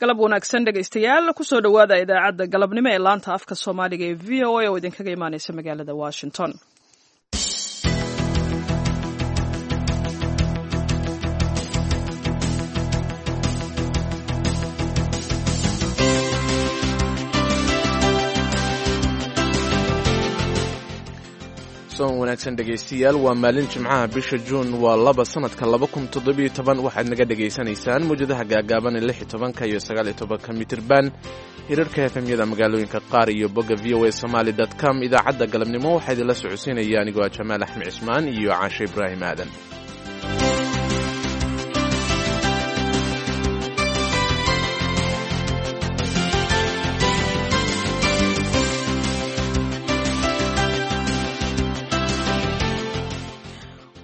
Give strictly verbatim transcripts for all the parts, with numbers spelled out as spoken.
Galab wanaagsan, dhegaystayaal. Kusoo dhowaada idaacadda galabnimo ee laanta afka Soomaaliga ee V O A oo idinkaga imaaneysa magaalada Washington. Soon wanaagsan, dhegaystayaal. Waa maalin Jimcaha, bisha Juun waa laba, sanadka laba kun toddobiyo toban. Waxaad naga dhegaysanaysaan mawjadaha gaagaaban ee lix iyo tobanka iyo sagaal iyo tobanka mitirban, hirarka F M-yada magaalooyinka qaar iyo bogga V O A Somali dot com. Idaacadda galabnimo waxaa idinla socodsiinaya anigoo ah Jamaal Axmed Cismaan iyo Caashe Ibraahim Aadan.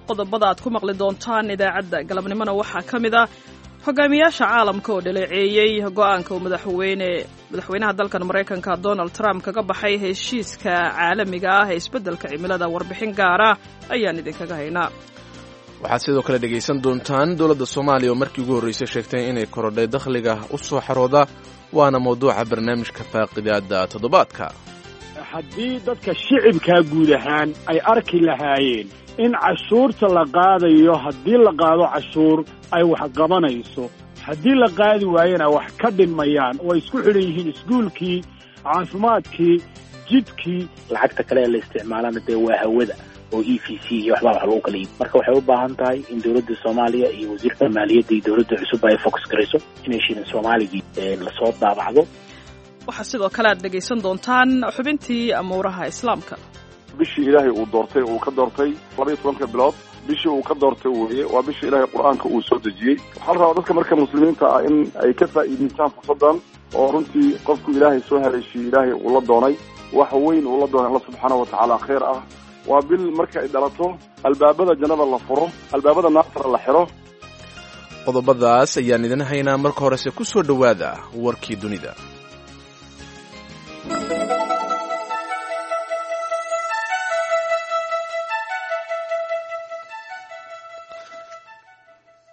Qodobada aad ku maqli doontaan idaacadda galabnimona waxaa ka mid ah hogaamiyaasha caalamka oo dhaleeceeyey go'aanka uu madaxweyne madaxweynaha dalkan Maraykanka Donald Trump kaga baxay heshiiska caalamiga ah ee isbeddelka cimilada. Warbixin gaara ayaan idinkaga haynaa. Waxaad sidoo kale dhegaysan doontaan dowladda Soomaaliya oo markii ugu horreysay sheegtay inay korodhay dakhliga u soo xarooda, waana mawduuca barnaamijka faaqidaada toddobaadka. Haddii dadka shicibkaa guud ahaan ay arki lahaayeen in cashuurta la qaadayo, haddii la qaado cashuur ay wax qabanayso, haddii la qaadi waayena wax ka dhinmayaan oo ay isku xidhan yihiin iskuulkii, caafimaadkii, jidkii. Lacagta kale ee la isticmaalana dee waa hawada oo E V C iyo waxbaa wax lagu kala iib. Marka waxay u baahan tahay in dowladda Soomaaliya iyo wasiirka maaliyadda iyo dowladda cusub ay focus garayso inay shilin Soomaaligii lasoo daabacdo. Waxaa sidoo kale aad dhegaysan doontaan xubintii amuuraha Islaamka. Bishii Ilaahay uu doortay, uu ka doortay labaiyo tobanka bilood, bishii uu ka doortay weeye. Waa bishii Ilaahay Qur-aanka uu soo dejiyey. Waxaa la rabaa dadka marka muslimiinta ah in ay ka faa'iidaystaan fursaddan, oo runtii qofku Ilaahay soo haleeshiyey, Ilaahay uu la doonay wax weyn, uu la doonay Alla subxaanahu watacaala khayr ah. Waa bil marka ay dhalato albaabada jannada la furo, albaabada naartana la xiro. Qodobadaas ayaan idin haynaa. Marka horese ku soo dhowaada warkii dunida.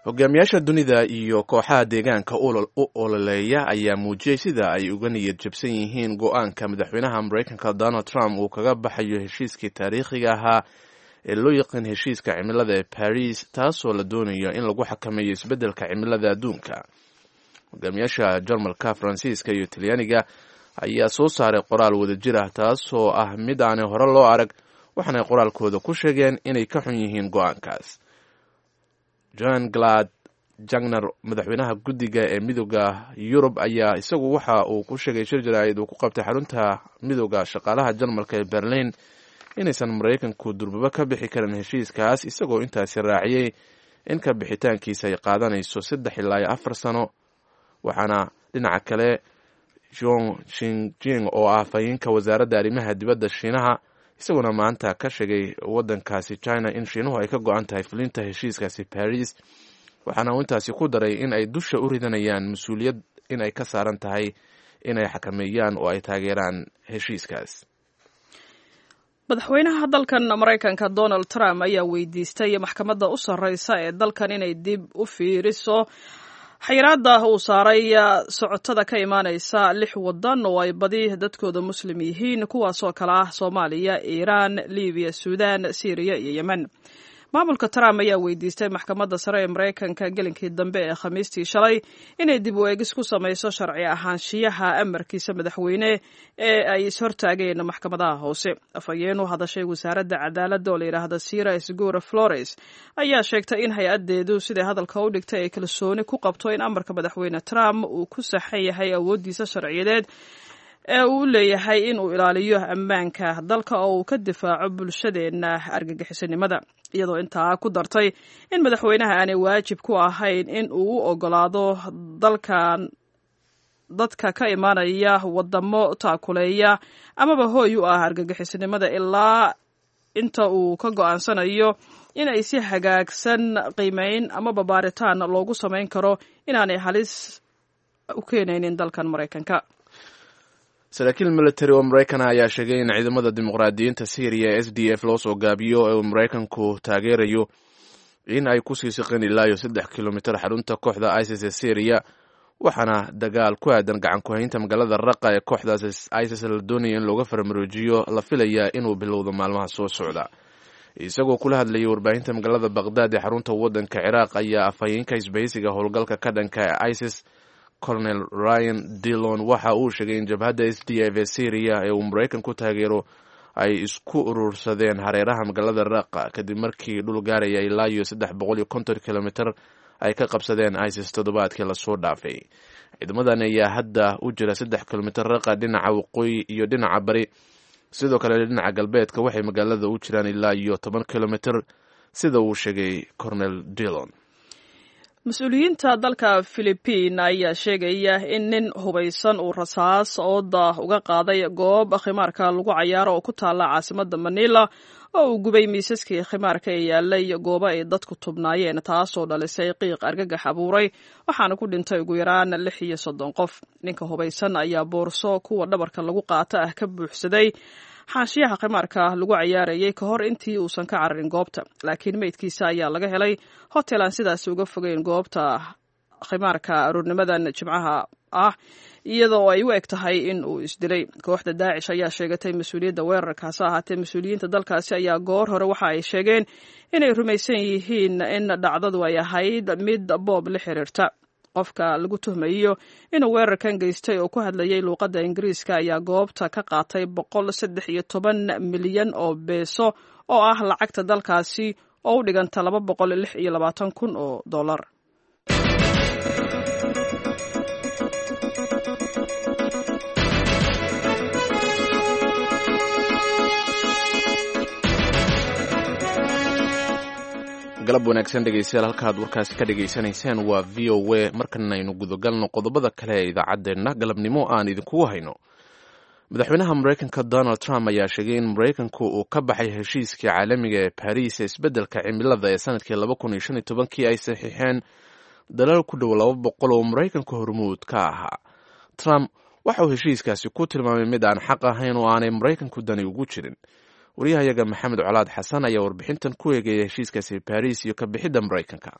Hogaamiyaasha dunida iyo kooxaha deegaanka u ololeeya ayaa muujiyey sida ay uga niyad jabsan yihiin go'aanka madaxweynaha Maraykanka Donald Trump uu kaga baxayo heshiiskii taariikhiga ahaa ee loo yaqaan heshiiska cimilada ee Paris, taasoo la doonayo in lagu xakameeyo isbeddelka cimilada adduunka. Hogaamiyaasha Jarmalka, Faransiiska iyo Talyaaniga ayaa soo saaray qoraal wadajir ah, taasoo ah mid aanay hore loo arag, waxaanay qoraalkooda ku sheegeen inay ka xun yihiin go'aankaas. John Glad Jagner, madaxweynaha guddiga ee Midooda Yurub, ayaa isagu waxa uu ku sheegay shir jaraa'id uu ku qabtay xarunta Midooda Shaqaalaha Jarmalka ee Berlin inaysan Maraykanku durbaba ka bixi karin heshiiskaas, isagoo intaasi raaciyey in ka bixitaankiisa ay qaadanayso saddex ilaa iyo afar sano. Waxaana dhinaca kale Jong Shinjing, oo ah afhayeenka wasaaradda arrimaha dibadda Shiinaha, isaguna maanta ka sheegay waddankaasi China in Shiinuhu ay ka go'an tahay fulinta heshiiskaasi Paris, waxaana uu intaasi ku daray in ay dusha u ridanayaan mas'uuliyad in ay ka saaran tahay inay xakameeyaan oo ay taageeraan heshiiskaas. Madaxweynaha dalkan Maraykanka Donald Trump ayaa weydiistay maxkamadda u sarreysa ee dalkan inay dib u fiiriso xayiraadda uu saaray socotada ka imaaneysa lix wadan oo ay badi dadkooda Muslim yihiin, kuwaasoo kale ah Soomaaliya, Iiraan, Libiya, Suudaan, Siiriya iyo Yemen. Maamulka Trump ayaa weydiistay maxkamadda sare ee Maraykanka gelinkii dambe ee Khamiistii shalay inay dib u eegis ku samayso sharci ahaanshiyaha amarkiisa madaxweyne ee ay ishortaageen maxkamadaha hoose. Afhayeen u hadashay wasaaradda cadaaladda oo la yidhaahda Sira Sgura Flores ayaa sheegtay in hay'addeedu, siday hadalka u dhigtay, ay kalsooni ku qabto in amarka madaxweyne Trump uu ku saxan yahay awooddiisa sharciyadeed ee uu leeyahay in uu ilaaliyo ammaanka dalka oo uu ka difaaco bulshadeenna argagixisanimada, iyadoo intaa ku dartay in madaxweynaha aanay waajib ku ahayn in uu u ogolaado dalkan dadka ka imaanaya wadamo taakuleeya amaba hooy u ah argagixisanimada, ilaa inta uu ka go'aansanayo in ay si hagaagsan qiimeyn amaba baaritaan loogu samayn karo inaanay halis u keenaynin dalkan Maraykanka. Saraakiil military oo Maraykana ayaa sheegay in ciidamada dimuqraadiyiinta Syriya ee S D F loo soo gaabiyo ee uu Maraykanku taageerayo in ay kusii siqeen ilaa iyo saddex kilomitir xarunta kooxda ISIS ee Syriya. Waxaana dagaal ku aadan gacan ku-haynta magaalada Raqa ee kooxdaas ISIS la doonaya in looga farmaroojiyo la filayaa inuu bilowdo maalmaha soo socda. Isagoo kula hadlayay warbaahinta magaalada Baqhdaad ee xarunta waddanka Ciraaq ayaa afhayeenka isbahaysiga howlgalka ka dhanka ee ISIS, Colonel Ryan Dillon, waxa uu sheegay in jabhadda S D F ee Syria ee uu Maraykan ku taageero ay isku urursadeen hareeraha magaalada Raqa, kadib markii dhul gaaraya ilaa iyo saddex boqol iyo konton kilomitr ay ka qabsadeen ISIS toddobaadkii lasoo dhaafay. Ciidamadan ayaa hadda u jira saddex kilomitr Raqa dhinaca waqooyi iyo dhinaca bari. Sidoo kale dhinaca galbeedka waxay magaalada u jiraan ilaa iyo toban kilomitr, sida uu sheegay Colonel Dillon. Mas-uuliyiinta dalka Philibiin ayaa sheegaya in nin hubaysan uu rasaas ooda uga qaaday goob khimaarka lagu cayaaro oo ku taalla caasimadda Manila, oo uu gubay miisaskii khimaarka ee yaalay goobo ay dadku tubnaayeen, taasoo dhalisay qiiq argagax abuuray, waxaana ku dhintay ugu yaraan lix iyo soddon qof. Ninka hubaysan ayaa boorso kuwa dhabarka lagu qaata ah ka buuxsaday xaashiyaha khimaarka lagu cayaarayay ka hor intii uusan ka cararin goobta, laakiin meydkiisa ayaa laga helay hotel aan sidaasi uga fogeyn goobta khimaarka aroornimadan Jimcaha ah, iyadoo ay u eg tahay in uu isdilay. Kooxda Daacish ayaa sheegatay mas-uuliyadda weerarkaas. Ahaatee, mas-uuliyiinta dalkaasi ayaa goor hore waxa ay sheegeen inay rumaysan yihiin in dhacdadu ay ahayd mid boob la xiriirta. Qofka lagu tuhmayo inuu weerarkan geystay oo ku hadlayay luuqadda Ingiriiska ayaa goobta ka qaatay boqol saddex iyo toban milyan oo beeso oo ah lacagta dalkaasi oo u dhiganta laba boqol lix iyo labaatan kun oo dollar. Galab wanaagsan, dhegeystayaal. Halkaad warkaasi ka dhegaysanayseen waa V O A. Markanaynu gudagalno qodobada kale ee idaacaddeenna galabnimo aan idinkugu hayno. Madaxweynaha Maraykanka Donald Trump ayaa sheegay in Maraykanku uu ka baxay heshiiskii caalamiga ee Baris ee isbeddelka cimilada ee sanadkii laba kun iyo shan iyo tobankii ay saxiixeen dalal ku dhow laba boqol oo Maraykanku hormuud ka ahaa. Trump waxa uu heshiiskaasi ku tilmaamay mid aan xaq ahayn oo aanay Maraykanku dani ugu jirin. Wariyahayaga Maxamed Colaad Xasan ayaa warbixintan ku eegaya heshiiskaasi Baris iyo ka bixidda Maraykanka.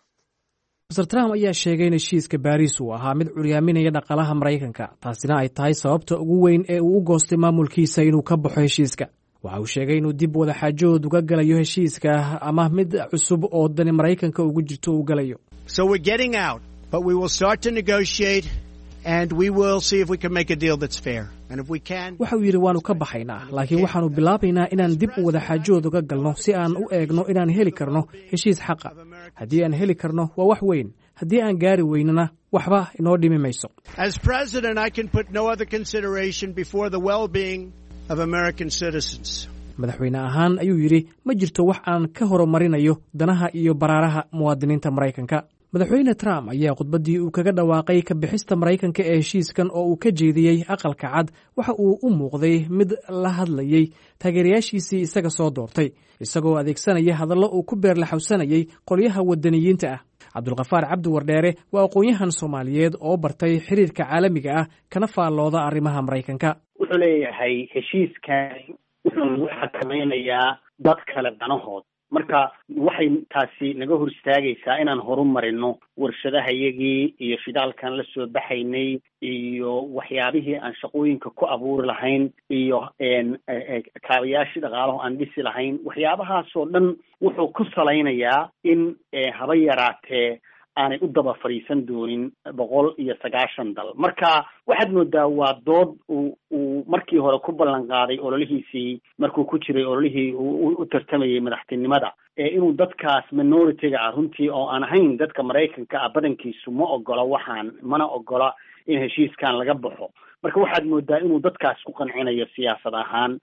Mister Trump ayaa sheegay in heshiiska Baariis uu ahaa mid curyaaminaya dhaqaalaha Maraykanka, taasina ay tahay sababta ugu weyn ee uu u goostay maamulkiisa inuu ka baxo heshiiska. Waxa uu sheegay inuu dib wadaxaajood uga galayo heshiiska ama mid cusub oo dani Maraykanka ugu jirto uu galayo. Waxa uu yidhi: "Waannu ka baxaynaa, laakiin waxaannu bilaabaynaa inaan dib u wadaxaajood uga galno si aan u eegno inaan heli karno heshiis xaqa. Haddii aan heli karno, waa wax weyn. Haddii aan gaari weynana, waxba inoo dhimi mayso." Madaxweyne ahaan, ayuu yidhi, ma jirto wax aan ka horumarinayo danaha iyo baraaraha muwaadiniinta Maraykanka. Madaxweyne Trump ayaa khudbaddii uu kaga dhawaaqay ka bixista Maraykanka ee heshiiskan oo uu ka jeediyey Aqalka Cad waxa uu u muuqday mid la hadlayey taageerayaashiisii isaga soo doortay, isagoo adeegsanaya hadallo uu ku beerlaxawsanayay qolyaha waddaniyiinta ah. Cabdulkhafaar Cabdi Wardheere waa aqoon-yahan Soomaaliyeed oo bartay xiriirka caalamiga ah, kana faallooda arrimaha Maraykanka. Wuxuu leeyahay heshiiskani wuxuu nagu xakamaynayaa dad kale danahood. Marka waxay taasi naga hor istaagaysaa inaan horumarino warshadahayagii iyo shidaalkan la soo baxaynay iyo waxyaabihii aan shaqooyinka ku abuuri lahayn iyo kaabayaashii dhaqaalaho aan dhisi lahayn. Waxyaabahaasoo dhan wuxuu ku salaynayaa in haba yaraatee aanay u daba fadhiisan doonin boqol iyo sagaashan dal. Marka waxaad moodaa waa dood uu uu markii hore ku ballan qaaday ololihiisii markuu ku jiray ololihii uu u tartamayay madaxtinimada, inuu dadkaas minority-ga ah runtii oo aan ahayn dadka Maraykanka ah badankiisu ma ogola waxaan, mana ogola in heshiiskan laga baxo. Marka waxaad moodaa inuu dadkaas ku qancinayo siyaasad ahaan.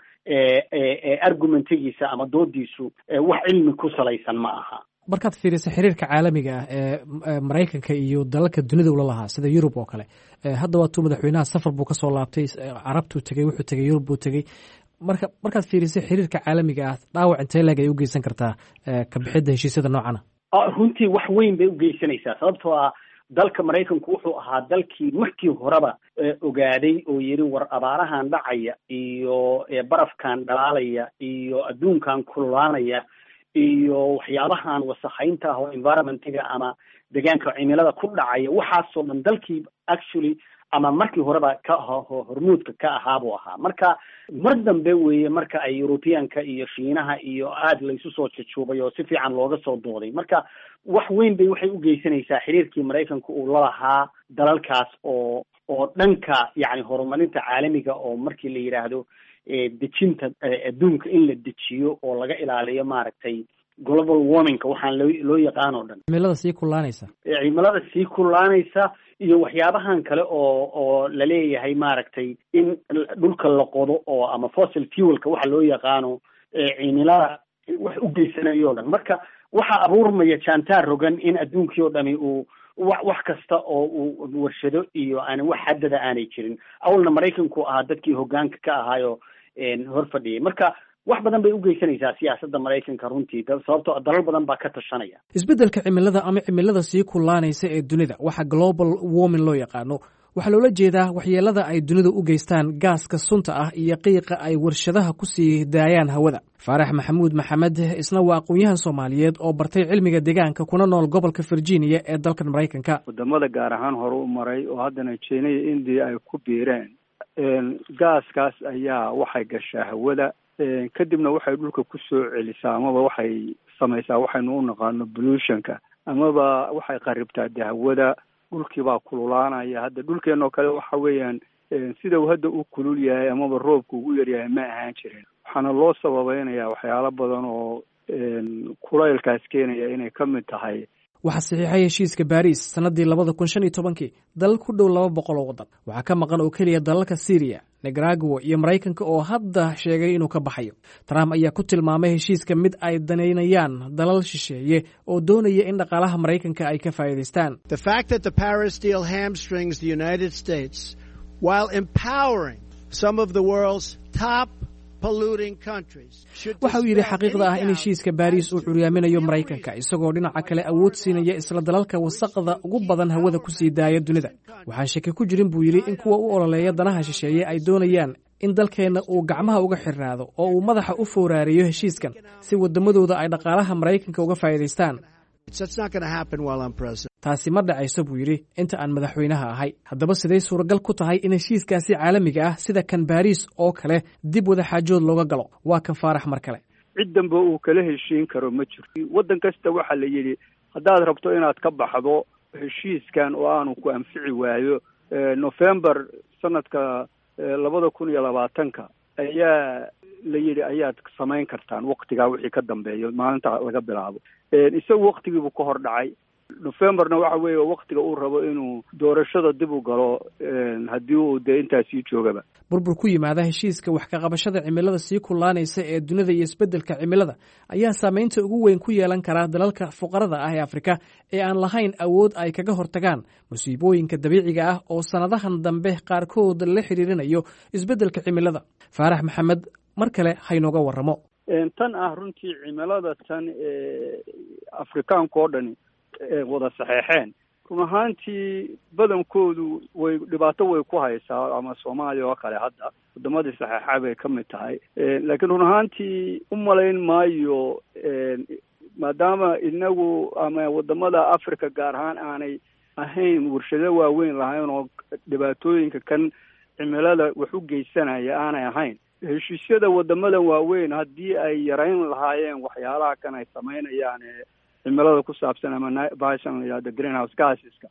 Argumentigiisa ama doodiisu wax cilmi ku salaysan ma aha. Markaad fiiriso xiriirka caalamiga ah ee Maraykanka iyo dalalka dunida ula lahaa, sida Yurub oo kale, hadda waatuu madaxweynaha safar buu kasoo laabtay, Carabtuu tegey, wuxuu tegey Yurub buu tegey. Marka markaad fiiriso xiriirka caalamiga ah, dhaawac intee leeg ay u geysan kartaa ka bixidda heshiisyada noocana? Runtii wax weyn bay ugeysanaysaa, sababtoo ah dalka Maraykanku wuxuu ahaa dalkii markii horeba ogaaday oo yidhi war abaarahan dhacaya iyo barafkan dhalaalaya iyo adduunkan kululaanaya Iyo waxyaabahan wasakhaynta ah oo environmentiga ama deegaanka, cimilada ku dhacaya, waxaasoo dhan dalkii actually ama markii horeba ka hormuudka ka ahaa buu ahaa. Marka mar dambe weeye marka ay Europeanka iyo Shiinaha iyo aada laysu soo jujuubay oo si fiican looga soo dooday. Marka wax weyn bay waxay u geysanaysaa xiriirkii Maraykanka uu lalahaa dalalkaas oo oo dhanka yacni horumarinta caalamiga, oo markii la yidhaahdo dejinta adduunka in la dejiyo oo laga ilaaliyo, maaragtay, global warmingka waxaan loo loo yaqaan oo dhan. Cimilada sii kulaanaysa. Cimilada sii kulaanaysa iyo waxyaabahan kale oo oo laleeyahay, maaragtay, in dhulka la qodo oo ama fossil fuelka waxa loo yaqaano cimilada wax u geysanayo o dhan. Marka waxaa abuurmaya jaantaar rogan in adduunkii oo dhami uu wa wax kasta oo uu warshado iyo aan wax xaddada aanay jirin. Awalna Maraykanku ahaa dadkii hoggaanka ka ahaayo hor fadhiyay. Marka wax badan bay u geysanaysaa siyaasadda Maraykanka runtii, sababtoo dalal badan baa ka tashanaya. Isbeddelka cimilada ama cimilada sii kulaanaysa ee dunida, waxa global warming loo yaqaano, waxaa loola jeedaa waxyeelada ay dunidu u geystaan gaaska sunta ah iyo qiiqa ay warshadaha ku sii daayaan hawada. Faarax Maxamuud Maxamed isna waa aqoon-yahan Soomaaliyeed oo bartay cilmiga deegaanka, kuna nool gobolka Virginia ee dalkan Maraykanka. Wadamada gaar ahaan hore u maray oo haddana China iyo India ay ku biireen, gaaskaas ayaa waxay gashaa hawada, kadibna waxay dhulka ku soo celisaa amaba waxay samaysaa waxaynu u naqaano pollutionka, amaba waxay qaribtaa de hawada. Dhulkii baa kululaanaya. Hadda dhulkeenoo kale waxa weeyaan sida uu hadda u kulul yahay amaba roobku ugu yaryahay ma ahaan jirin. Waxaana loo sababeynaya waxyaalo badan oo kulaylkaas keenaya inay ka mid tahay. Waxaa saxiixay heshiiska Baariis sannaddii labada kun shan iyo tobankii dalal ku dhow laba boqol oo waddan. Waxaa ka maqan oo keliya dalalka Syriya, Nicaragua iyo Maraykanka oo hadda sheegay inuu ka baxayo. Trump ayaa ku tilmaamay heshiiska mid ay danaynayaan dalal shisheeye oo doonaya in dhaqaalaha Maraykanka ay ka faa'iidaystaan. The fact that the Paris deal hamstrings the United States while empowering some of the world's top Waxa uu yidhi, xaqiiqda ah in heshiiska Baariis uu curyaaminayo Maraykanka, isagoo dhinaca kale awood siinaya isla dalalka wasaqda ugu badan hawada ku sii daaya dunida. Waxaan shaki ku jirin, buu yidhi, in kuwa u ololeeya danaha shisheeye ay doonayaan in dalkeenna uu gacmaha uga xirnaado oo uu madaxa u fooraariyo heshiiskan si waddamadooda ay dhaqaalaha Maraykanka uga faa'iidaystaan. Taasi ma dhacayso, buu yidhi, inta aan madaxweynaha ahay. Haddaba siday suuragal ku tahay in heshiiskaasi caalamiga ah, sida kan Baariis oo kale, dib wadaxaajood looga galo? Waa kan Faarax mar kale. Cid dambe uu kala heshiin karo ma jirto. Waddan kasta waxaa la yidhi, haddaad rabto inaad ka baxdo heshiiskan oo aanu ku anfici waayo, November sanadka labada kun iyo labaatanka ayaa la yidhi ayaad samayn kartaan, waktigaa wixii ka dambeeyo maalinta laga bilaabo. Isagu waktigiibuu ka hor dhacay. Novemberna waxa weeye waktiga uu rabo inuu doorashada dib u galo, haddii uu dee intaa sii joogaba. Burbur ku yimaada heshiiska wax ka qabashada cimilada sii kulaanaysa ee dunida iyo isbeddelka cimilada ayaa saameynta ugu weyn ku yeelan karaa dalalka fuqarada ah ee Afrika ee aan lahayn awood ay kaga hortagaan musiibooyinka dabiiciga ah oo sannadahan dambe qaarkood la xiriirinayo isbeddelka cimilada. Faarax Maxamed mar kale haynooga warramo. Tan ah runtii cimilada tan ee Afrikaanka oo dhani wada saxeexeen, run ahaantii badankoodu way dhibaato way ku haysaa, ama Soomaaliya oo kale hadda wadamadii saxeexa bay ka mid tahay. Laakiin run ahaantii u malayn maayo, maadaama inagu ama wadamada Africa gaar ahaan aanay ahayn warshado waaweyn lahayn oo dhibaatooyinka kan cimilada wax u geysanaya aanay ahayn. Heshiisyada wadamadan waaweyn haddii ay yarayn lahaayeen waxyaalaha kan ay samaynayaan ee cimilada ku saabsan ama bahashan la yidhahdo greenhouse gaseska,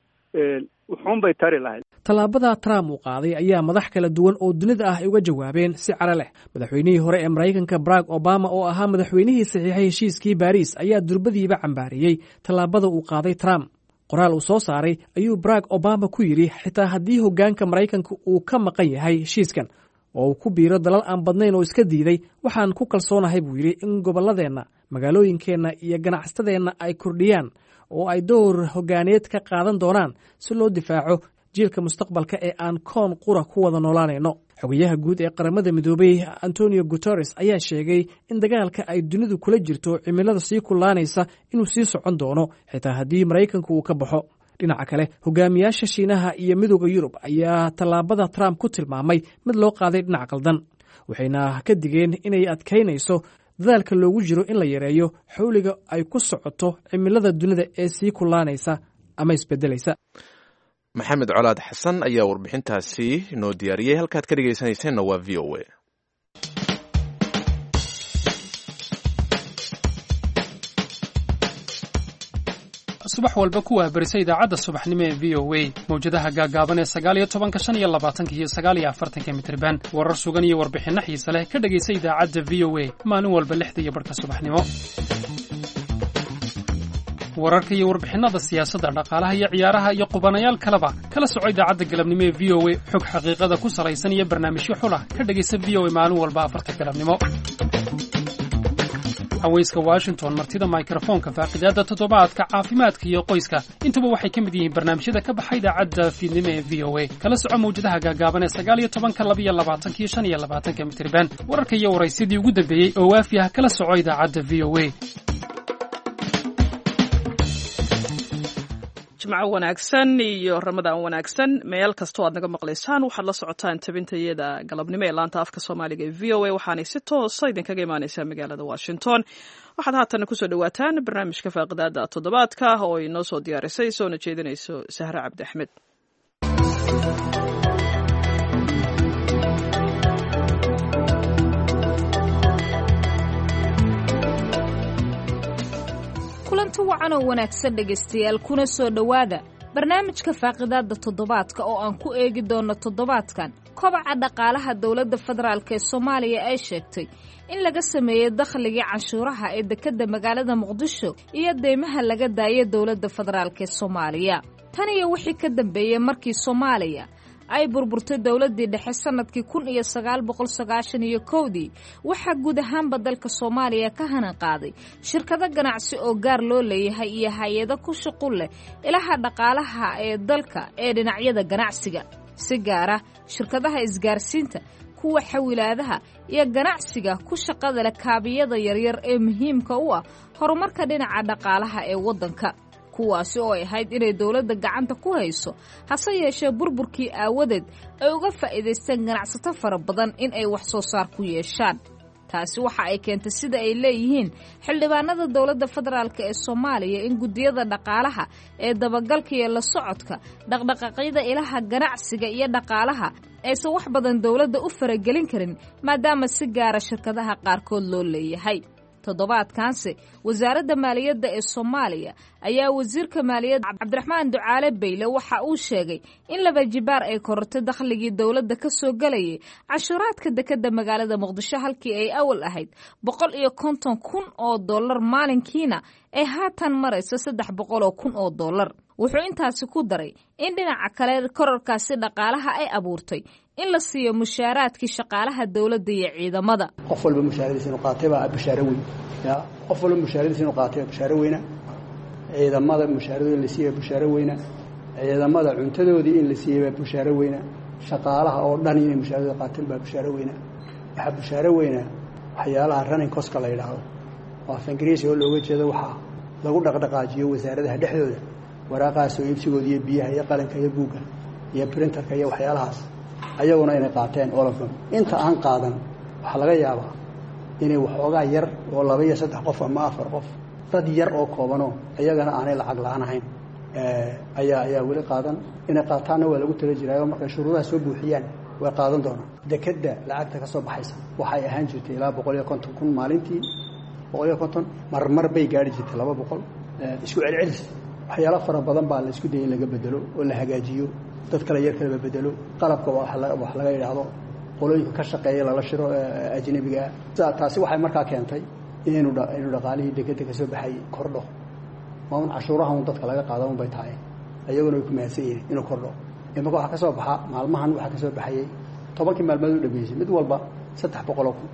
wuxuun bay tari lahayd. Tallaabada Trump uu qaaday ayaa madax kala duwan oo dunida ah ay uga jawaabeen si caro leh. Madaxweynihii hore ee Maraykanka Barack Obama, oo ahaa madaxweynihii saxiixay heshiiskii Baariis, ayaa durbadiiba cambaariyey tallaabada uu qaaday Trump. Qoraal uu soo saaray ayuu Barack Obama ku yidhi, xitaa haddii hoggaanka Maraykanka uu ka maqan yahay heshiiskan oo uu ku biiro dalal aan badnayn oo iska diiday, waxaan ku kalsoonahay, buu yidhi, in gobolladeenna, magaalooyinkeenna iyo ganacsatadeenna ay kordhiyaan oo ay door hoggaaneed ka qaadan doonaan si loo difaaco jiilka mustaqbalka ee aan koon qura ku wada noolaanayno. Xogayaha guud ee Qaramada Midoobay Antonio Guteres ayaa sheegay in dagaalka ay dunidu kula jirto cimilada sii kulaanaysa inuu sii socon doono xitaa haddii Maraykanku uu ka baxo. Dhinaca kale, hogaamiyaasha Shiinaha iyo Midooda Yurub ayaa tallaabada Trump ku tilmaamay mid loo qaaday dhinac qaldan, waxayna ka digeen inay adkaynayso Dadaalka loogu jiro in la yareeyo xawliga ay ku socoto cimilada dunida ee sii kulaanaysa ama isbedelaysa. Maxamed Colaad Xasan ayaa warbixintaasi noo diyaariyey. Halkaad ka dhegaysanayseena waa V O A. Subax walba ku wahbarisa idaacadda subaxnimo ee V O A, mawjadaha gaagaaban ee sagaal iyo tobanka, shan iyo labaatanka iyo sagaal iyo afartanka mitirban. Warar sugan iyo warbixinno xiise leh ka dhegaysa idaacadda V O A maalin walba lixda iyo barhka subaxnimo. Wararka iyo warbixinnada siyaasadda, dhaqaalaha iyo ciyaaraha iyo qubanayaal kaleba kala soco idaacadda galabnimo ee V O A. Xog xaqiiqada ku salaysan iyo barnaamijyo xulah ka dhegaysa V O A maalin walba afarta galabnimo. Haweyska Washington, martida mikrofoonka, faaqidaadda toddobaadka, caafimaadka iyo qoyska, intuba waxay ka mid yihiin barnaamijyada ka baxa idaacadda fiidnimo ee V O A. Kala soco mawjadaha gaagaaban ee sagaal iyo tobanka, laba iyo labaatanka iyo shan iyo labaatanka mitirban. Wararka iyo waraysyadii ugu dambeeyey oo waafi ah kala soco idaacadda V O A. Jimco wanaagsan iyo Ramadaan wanaagsan meel kastoo aad naga maqlaysaan. Waxaad la socotaan tabintayada galabnimo ee laanta afka Soomaaliga ee V O A, waxaanay si toosa idinkaga imaaneysaa magaalada Washington. Waxaad haatan kusoo dhawaataan barnaamijka faaqidaada toddobaadka oo inoo soo diyaarisay soona jeedinayso Sahre Cabdi Axmed. Kulanti wacan oo wanaagsan, dhegaystayaal, kuna soo dhowaada barnaamijka faaqidaadda toddobaadka oo aan ku eegi doonno toddobaadkan kobaca dhaqaalaha dowladda federaalk ee Soomaaliya ay sheegtay in laga sameeyey dakhligii canshuuraha ee dekedda magaalada Muqdisho iyo deymaha laga daayay dowladda federaalk ee Soomaaliya. Tan iyo wixii ka dambeeyey markii Soomaaliya ay burburtay dowladdii dhexe sanadkii kun iyo sagaal boqol sagaashan iyo kowdii, waxaa guud ahaanba dalka Soomaaliya ka hanan qaaday shirkado ganacsi oo gaar loo leeyahay iyo hay-ado ku shuqul leh ilaha dhaqaalaha ee dalka ee dhinacyada ganacsiga, si gaara shirkadaha isgaarsiinta, kuwa xawilaadaha iyo ganacsiga ku shaqada leh kaabiyada yaryar ee muhiimka u ah horumarka dhinaca dhaqaalaha ee waddanka, kuwaasi oo ay ahayd inay dowladda gacanta ku hayso, hase yeeshee burburkii aawadeed ay uga faa'iidaysteen ganacsato fara badan in ay wax soo saar ku yeeshaan. Taasi waxa ay keentay, sida ay leeyihiin xildhibaanada dowladda federaalk ee Soomaaliya, in guddiyada dhaqaalaha ee dabagalka iyo la socodka dhaqdhaqaaqyada ilaha ganacsiga iyo dhaqaalaha aysan wax badan dowladda u faragelin karin, maadaama si gaara shirkadaha qaarkood loo leeyahay. Toddobaadkanse wasaaradda maaliyadda ee Soomaaliya ayaa wasiirka maaliyadda Cabdiraxmaan Ducaale Bayle waxa uu sheegay in laba jibaar ay korortay dakhligii dowladda ka soo gelayay canshuuraadka dekedda magaalada Muqdisho, halkii ay awal ahayd boqol iyo konton kun oo dollar maalinkiina ay haatan marayso saddex boqol oo kun oo dollar. Wuxuu intaasi ku daray in dhinaca kale kororkaasi dhaqaalaha ay abuurtay in la siiyo mushaaraadkii shaqaalaha dowladda iyo ciidamada. Qof walba mushaaradiisa inuu qaatay baa bashaaro weyn. Ya, qof walba mushaaradiisa inuu qaatay baa bashaaro weyna. Ciidamada mushaaradooda in la siiyey baa bushaaro weyna. Ciidamada cuntadoodii in la siiyey baa bushaaro weyna. Shaqaalaha oo dhan inay mushaaradooda qaateen baa bushaaro weyna. Waxaa bushaaro weyna waxyaalaha running cost-ka la yidhaahdo, oo af Ingiriisi oo looga jeedo waxaa lagu dhaqdhaqaajiyo wasaaradaha dhexdooda, waraaqaha soo iibsigooda iyo biyaha iyo qalinka iyo buugga iyo printerka iyo waxyaalahaas, ayaguna inay qaateen all of them. Inta aan qaadan waxaa laga yaabaa inay waxoogaa yar oo laba iyo saddex qof ama afar qof, dad yar oo koobanoo iyagana aanay lacag la-aan ahayn ayaa ayaa weli qaadan. Inay qaataanna waa lagu tala jiraayo, markay shuruudaha soo buuxiyaan way qaadan doonaan. Dekedda lacagta ka soo baxaysa waxay ahaan jirtay ilaa boqol iyo konton kun maalintii, boqol iyo konton, marmar bay gaari jirtay laba boqol, isku celcelis. Waxyaalo fara badan baa la isku dayay in laga bedelo oo la hagaajiyo, dad kale yar kaleba bedelo, qalabka wax laga yidhaahdo, qolooyinka ka shaqeeya lala shiro ajnabiga ah. Taasi waxay markaa keentay inaynu inuu dhaqaalihii dekeda ka soo baxay kordho. Waa un cashuuraha un dadka laga qaada un bay tahay, ayaguna way ku mahadsan yihiin inuu kordho. Imaka waxaa ka soo baxa maalmahan, waxaa ka soo baxayay tobankii maalmood u dhameysay mid walba saddex boqoloo kun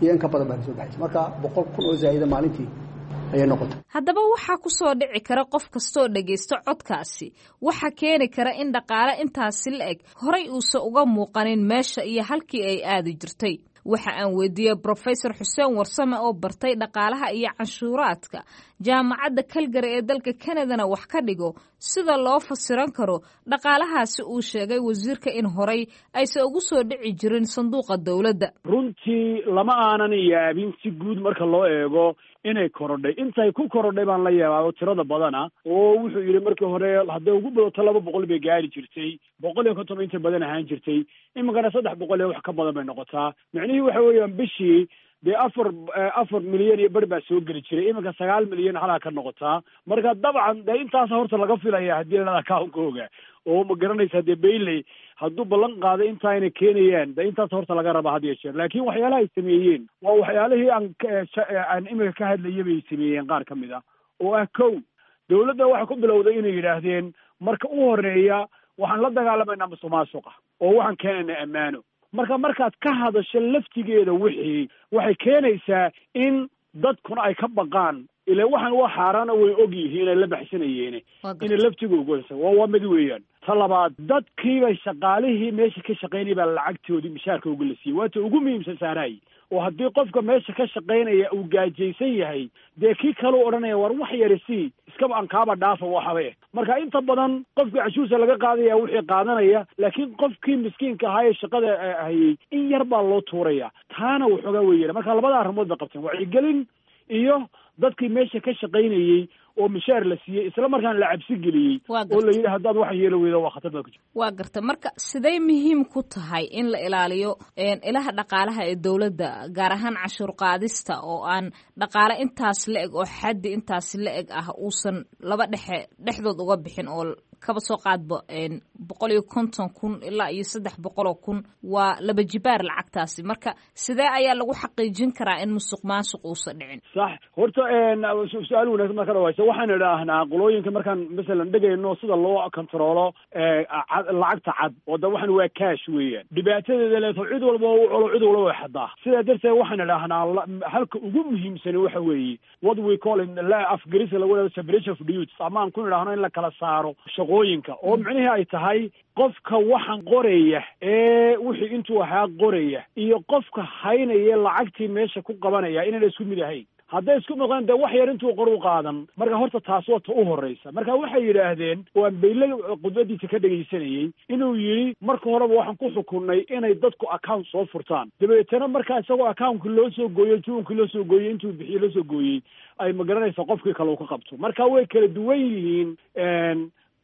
iyo in ka badan baa ka soo baxaysa. Marka boqol kun oo zaa'ida maalintii ayay noqotay. Haddaba waxaa ku soo dhici kara qof kastooo dhegaysto codkaasi, waxa keeni kara in dhaqaale intaasi la eg horay uusan uga muuqanin meesha iyo halkii ay aadi jirtay. Waxa aan weydiiyey Professor Xuseen Warsame oo bartay dhaqaalaha iyo canshuuraadka jaamacadda Calgary ee dalka Canadana wax ka dhigo, sida loo fasiran karo dhaqaalahaasi uu sheegay wasiirka in horay aysan ugu soo dhici jirin sanduuqa dowladda. Runtii lama aanan yaabin si guud marka loo eego inay korodhay. Intay ku korodhay baan la yaabaa tirada badana, oo wuxuu yidhi markii hore hadday ugu badato laba boqol bay gaari jirtay, boqol iyo konton inta badan ahaan jirtay, iminkana saddex boqol iyo wax ka badan bay noqotaa. Micnihii waxa weeyaan bishii dee afar afar milyan iyo bar baa soo geli jiray, iminka sagaal milyan halaa ka noqotaa. Marka dabcan dee intaas horta laga filaya haddii la account-kooga oo ma garanaysaa dee Bailey hadduu ballan qaaday inta ayna keenayaan, dee intaas horta laga rabaa had iyo jeer. Laakiin waxyaalaha ay sameeyeen waa waxyaalihii aan aan iminka ka hadlayay bay sameeyeen qaar ka mid ah, oo ah kow, dowladda waxay ku bilowday inay yidhaahdeen marka u horeeya waxaan la dagaalamaynaa musuqmaasuqa oo waxaan keenaynaa ammaano. Marka markaad ka hadasho laftigeeda wixii waxay keenaysaa in dadkuna ay ka baqaan, ila waxaan waa xaaraana, way og yihiin ay la baxsanayeene inay laftigooga waa waa mid weeyaan. Ta labaad, dadkiibay shaqaalihii meesha ka shaqaynaya baa lacagtoodii mishaarkooga la siiyey, waata ugu muhiimsan saaraay. Oo haddii qofka meesha ka shaqaynaya uu gaajaysan yahay, dee kii kaleu odhanaya war wax yari sii, iskaba aan kaaba dhaafa waxaba eh. Marka inta badan qofkii cashuurta laga qaadaya wixii qaadanaya, laakiin qofkii miskiinka ahaa ee shaqada hayay in yar baa loo tuuraya, taana waxoogaa weeyaan. Marka labada arrimood bay qabteen, wacyigelin iyo dadkii meesha ka shaqaynayey oo mishaar la siiyey, isla markaana la cabsi geliyey oo la yidhi haddaad wax yeelo weydo waa khatar baa ku jirta. Waa garta. Marka siday muhiim ku tahay in la ilaaliyo ilaha dhaqaalaha ee dowladda, gaar ahaan cashuur qaadista, oo aan dhaqaale intaas la eg oo xaddi intaas la eg ah uusan laba dhexe dhexdood uga bixin, oo kaba soo qaadba boqol iyo konton kun ilaa iyo saddex boqol oo kun waa laba jibaar lacagtaasi. Marka sidee ayaa lagu xaqiijin karaa in musuq maasuq uusan dhicin? Sax, horta su-aal wanaagsan marka dhawaysa. Waxaan idhaahnaa qolooyinka markaan masalan dhegayno sida loo kontaroolo lacagta cad, oo da waxaan waa cash weeyaan, dhibaatadeeda leeto cid walba u colo, cid walba way xadaa. Sidaa darteed waxaan idhaahnaa halka ugu muhiimsani waxa weeye what we call in la afgarisa lagu dhahdo separation of duties, ama aan ku idhaahno in la kala saaro shaqooyinka, oo micnihii ay tahay qofka waxaan qoraya ee wixii intuu ahaa qoraya iyo qofka haynaya lacagtii meesha ku qabanaya inayna isku mid ahayn. Hadday isku noqdaan dee wax yar intuu qor u qaadan. Marka horta taas waa ta u horreysa. Marka waxay yidhaahdeen, oo aan Bayle khudbadiisa ka dhegaysanayey, inuu yidhi marka horeba waxaan ku xukunnay inay dadku account soo furtaan, dabeetana markaa isagoo accountka loo soo gooyo, juunkii loo soo gooyey, intuu bixiye loo soo gooyey, ay magaranaysa qofkii kale uu ka qabto. Marka way kala duwan yihiin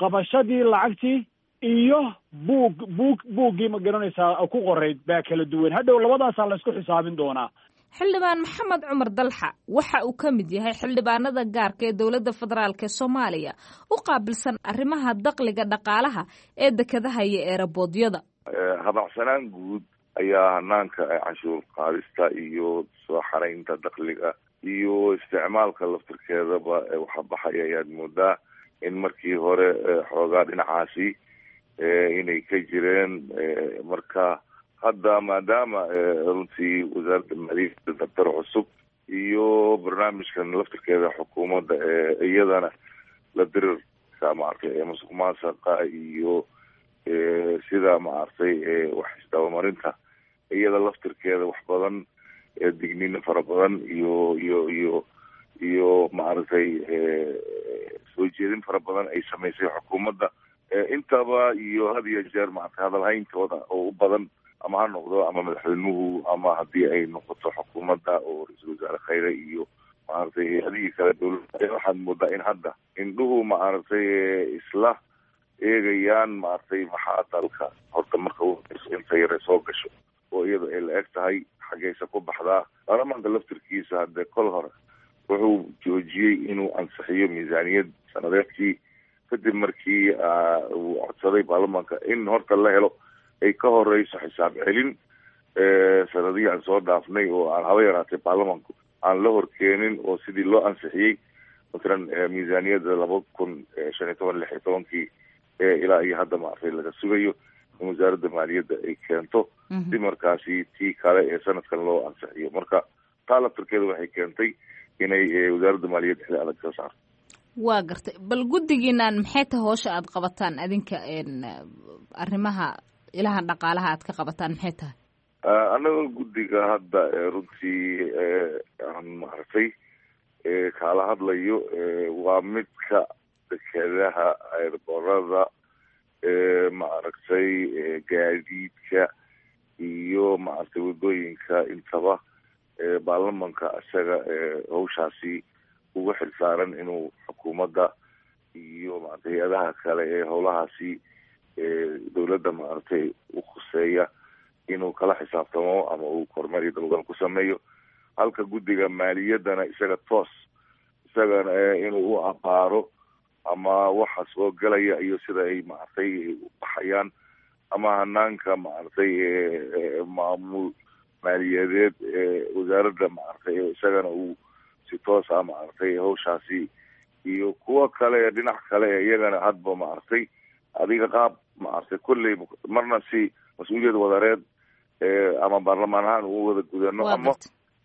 qabashadii lacagtii iyo buug buug buuggii ma garanaysaa ku qorayd baa kala duwan. Hadhow labadaasaa la isku xisaabin doonaa. Xildhibaan Maxamed Cumar Dalxa waxa uu ka mid yahay xildhibaanada gaarka ee dowladda federaalk ee Soomaaliya u qaabilsan arrimaha dakhliga dhaqaalaha ee dekedaha iyo eeraboodiyada. Habacsanaan guud ayaa hanaanka canshuur qaadista iyo soo xaraynta dakhliga iyo isticmaalka laftirkeedaba waxa baxaya ayaad moodaa in markii hore xoogaa dhinacaasi inay ka jireen. Marka hadda maadaama runtii wasaaradda maaliyadda daftar cusub iyo barnaamijkan laftirkeeda xukuumadda ee iyadana la dirirka maaragtay ee musuq maasaqa iyo sida maaragtay wax isdabamarinta, iyada laftirkeeda wax badan digniino fara badan iyo iyo iyo iyo maaragtay soo jeedin fara badan ay samaysay xukuumadda intaba, iyo had iyo jeer maaragtay hadalhayntooda oo u badan, ama ha noqdo ama madaxweynuhu ama haddii ay noqoto xukuumadda oo ra-iisul wasaare Khayre iyo maaragtay hay-adihii kale dowladda, waxaad moodaa in hadda indhuhu maaragtay isla eegayaan maaragtay maxaa dalka horta marka inta yare soo gasho oo iyada ay la eg tahay xaggaysa ku baxdaa. Baarlamaanka laftirkiisa haddee kol hore wuxuu joojiyey inuu ansixiyo miisaaniyad sanadeedkii kadib markii uu codsaday baarlamaanka in horta la helo ay ka horeyso xisaab celin sanadihii aan soo dhaafnay oo aan haba yaraatay baarlamaanku aan la horkeenin, oo sidii loo ansixiyey matalan miisaaniyadda laba kun shan iyo toban lix iyo tobankii ilaa iyo hadda maaragtay laga sugayo in wasaaradda maaliyadda ay keento si markaasi tii kale ee sanadkan loo ansixiyo. Marka taa laftirkeeda waxay keentay inay wasaaradda maaliyadda xili adag soo saarto. Waa gartay. Bal guddigiinaan maxay tahay howsha aada qabataan adinka, arrimaha ilaha dhaqaalaha aad ka qabataan maxay tahay? Annaga guddiga hadda runtii aan maaragtay kaala hadlayo waa midka dekedaha, airboorada, maaragtay gaadiidka iyo maaragtay wadooyinka intaba baarlamanka isaga hawshaasi uga xilsaaran inuu xukuumadda iyo maaragtay hay-adaha kale ee howlahaasi dowladda maaragtay u khuseeya inuu kala xisaabtamo ama uu kormeer iyo dabagal ku sameeyo, halka guddiga maaliyaddana isaga toos isagana inuu u abaaro ama waxa soo galaya iyo sida ay maaragtay u baxayaan ama hanaanka maaragtay maamul maaliyadeed ee wasaaradda maaragtay isagana uu si toos ah maaragtay hawshaasi iyo kuwo kale dhinac kale iyagana hadba maaragtay adiga qaab maaragtay kolley marna si mas-uuliyad wadareed ama baarlamaan ahaan ugu wada gudano ama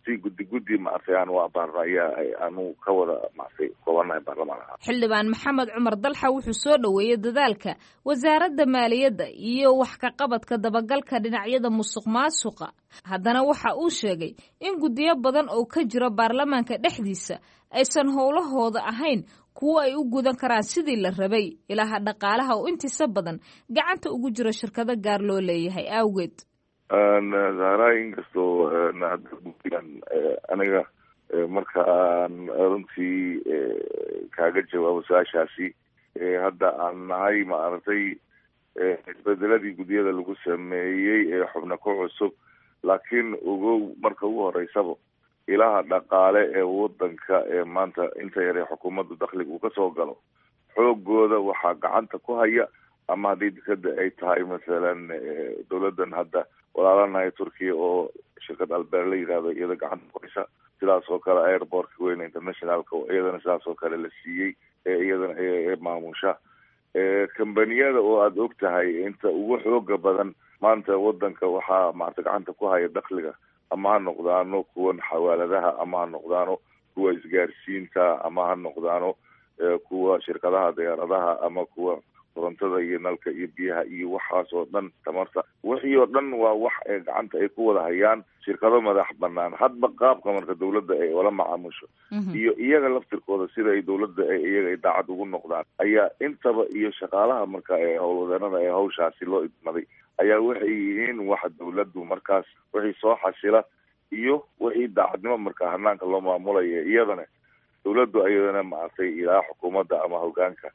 si guddi guddi maaragtay aan u abaarno ayaa aanu ka wada maaragtay koobanahay baarlamaan ahaan. Xildhibaan Maxamed Cumar Dalxa wuxuu soo dhoweeyey dadaalka wasaaradda maaliyadda iyo wax ka qabadka dabagalka dhinacyada musuq maasuqa. Haddana waxa uu sheegay in guddiyo badan oo ka jira baarlamaanka dhexdiisa aysan howlahooda ahayn kuwo ay u gudan karaan sidii la rabay, ilaha dhaqaalaha oo intiisa badan gacanta ugu jira shirkado gaar loo leeyahay awgeed. Zahra, inkastoo hadda guddigan aniga marka aan runtii kaaga jawaabo su-aashaasi, hadda aan nahay maaragtay isbedeladii guddiyada lagu sameeyey ee xubno ku cusub, laakiin ogow marka ugu horeysaba ilaha dhaqaale ee wadanka ee maanta inta yare xukuumadda dakhliga uu kasoo galo xoogooda waxaa gacanta ku haya, ama haddii dekada ay tahay masalan dowladdan hadda walaalanahay Turkiya oo shirkad Albeer la yidhahdo iyada gacanta ku haysa, sidaas oo kale airportka weyne internationalka oo iyadana sidaas oo kale la siiyey ee iyadana maamusha kambaniyada oo aada og tahay inta ugu xooga badan maanta wadanka waxaa maarata gacanta ku haya dakhliga, ama ha noqdaano kuwan xawaaladaha, ama ha noqdaano kuwa isgaarsiinta, ama ha noqdaano kuwa shirkadaha diyaaradaha, ama kuwa korontada iyo nalka iyo biyaha iyo waxaas oo dhan tamarta, wixii oo dhan waa wax ee gacanta ay ku wada hayaan shirkado madax banaan. Hadba qaabka marka dowladda ay ula macaamusho iyo iyaga laftirkooda sida ay dowladda ay iyaga ay daacad ugu noqdaan ayaa intaba, iyo shaqaalaha marka ee howlwadeenada ee hawshaasi loo idmaday ayaa waxay yihiin waxa dowladdu markaas wixii soo xasila iyo wixii daacadnimo marka hanaanka loo maamulayo, iyadana dowladdu iyadana maaragtay ilaa xukuumadda ama hogaanka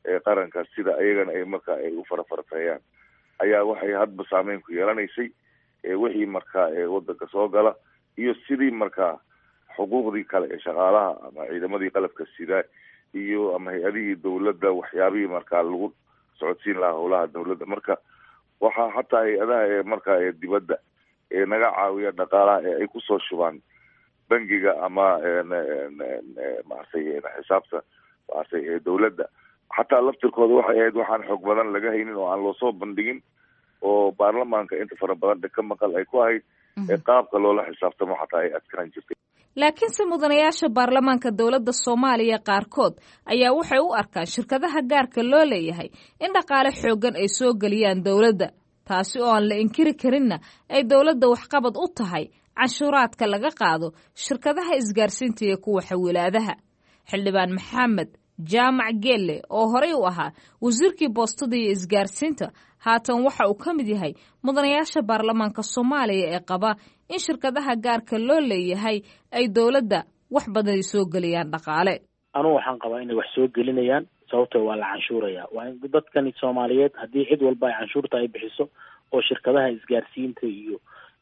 ee qaranka sida ayagana ay marka ay u farafarteeyaan ayaa waxay hadba saameyn ku yeelanaysay wixii marka eewadanka soo gala iyo sidii markaa xuquuqdii kale ee shaqaalaha ama ciidamadii qalabka sida iyo ama hay-adihii dowladda waxyaabihii markaa lagu socodsiin lahaa howlaha dowladda. Marka waxaa xataa hay-adaha ee markaa ee dibadda ee naga caawiya dhaqaalaha ee ay kusoo shubaan bangiga ama maaragtay xisaabta maaragtay ee dowladda, xataa laftirkooda waxay ahayd waxaan xoog badan laga haynin oo aan loosoo bandhigin oo baarlamaanka inta fara badan ka maqal ay ku ahayd ee qaabka loola xisaabtamo xataa ay adkaan jirtay. Laakiinse mudanayaasha baarlamaanka dowladda Soomaaliya qaarkood ayaa waxay u arkaan shirkadaha gaarka loo leeyahay in dhaqaale xooggan ay soo geliyaan dowladda, taasi oo aan la inkiri karinna ay dowladda waxqabad u tahay canshuuraadka laga qaado shirkadaha isgaarsiinta iyo kuwa xawilaadaha. Xildhibaan Maxamed Jaamac Geelle oo horey u ahaa wasiirkii boostada iyo isgaarsiinta, haatan waxa uu ka mid yahay mudanayaasha baarlamaanka Soomaaliya ee qaba in shirkadaha gaarka loo leeyahay ay dowladda wax badan ay soo geliyaan dhaqaale. Anugu waxaan qabaa inay wax soo gelinayaan, sababtoo waa la canshuuraya. Waa in dadkani Soomaaliyeed haddii cid walba ay canshuurta ay bixiso oo shirkadaha isgaarsiinta iyo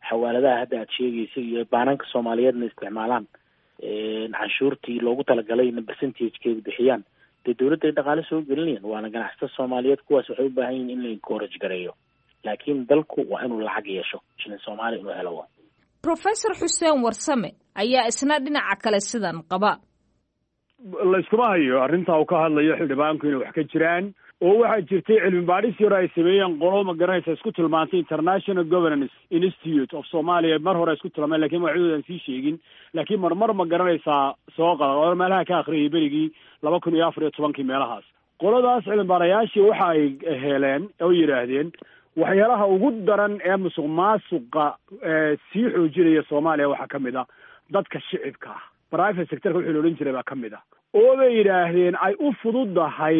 xawaaladaha hadda aad sheegaysa iyo baananka Soomaaliyeedna isticmaalaan canshuurtii loogu talagalay-na percentagekeeda bixiyaan, dee dowladda ay dhaqaale soo gelinayaan. Waana ganacsatada Soomaaliyeed, kuwaas waxay u baahan yihin in la encourage gareeyo, laakiin dalku waa inuu lacag yeesho, shilin Soomaaliya inuu helo. Waa Professor Xuseen Warsame ayaa isna dhinaca kale sidan qaba. Layskuma hayo arrintaa uu ka hadlayo xildhibaanku inay wax ka jiraan, oo waxaa jirtay cilmi baadhis yar ay sameeyeen qolo ma garanaysa isku tilmaantay International Governance Institute of Somalia, mar hore isku tilmaameen lakiin magacyadooda aan sii sheegin, laakiin marmar ma garanaysaa soo qada oo meelaha ka akhriyay berigii laba kun iyo afar iyo tobankii meelahaas. Qoladaas cilmi baarayaashii waxa ay heleen oo yidhaahdeen Waxyaalaha ugu daran ee musuq maasuqa sii xoojinaya Soomaaliya waxaa ka mid ah dadka shicibka ah, private sectorka wixii la odhan jiray baa ka mid ah, oo bay yidhaahdeen ay u fududahay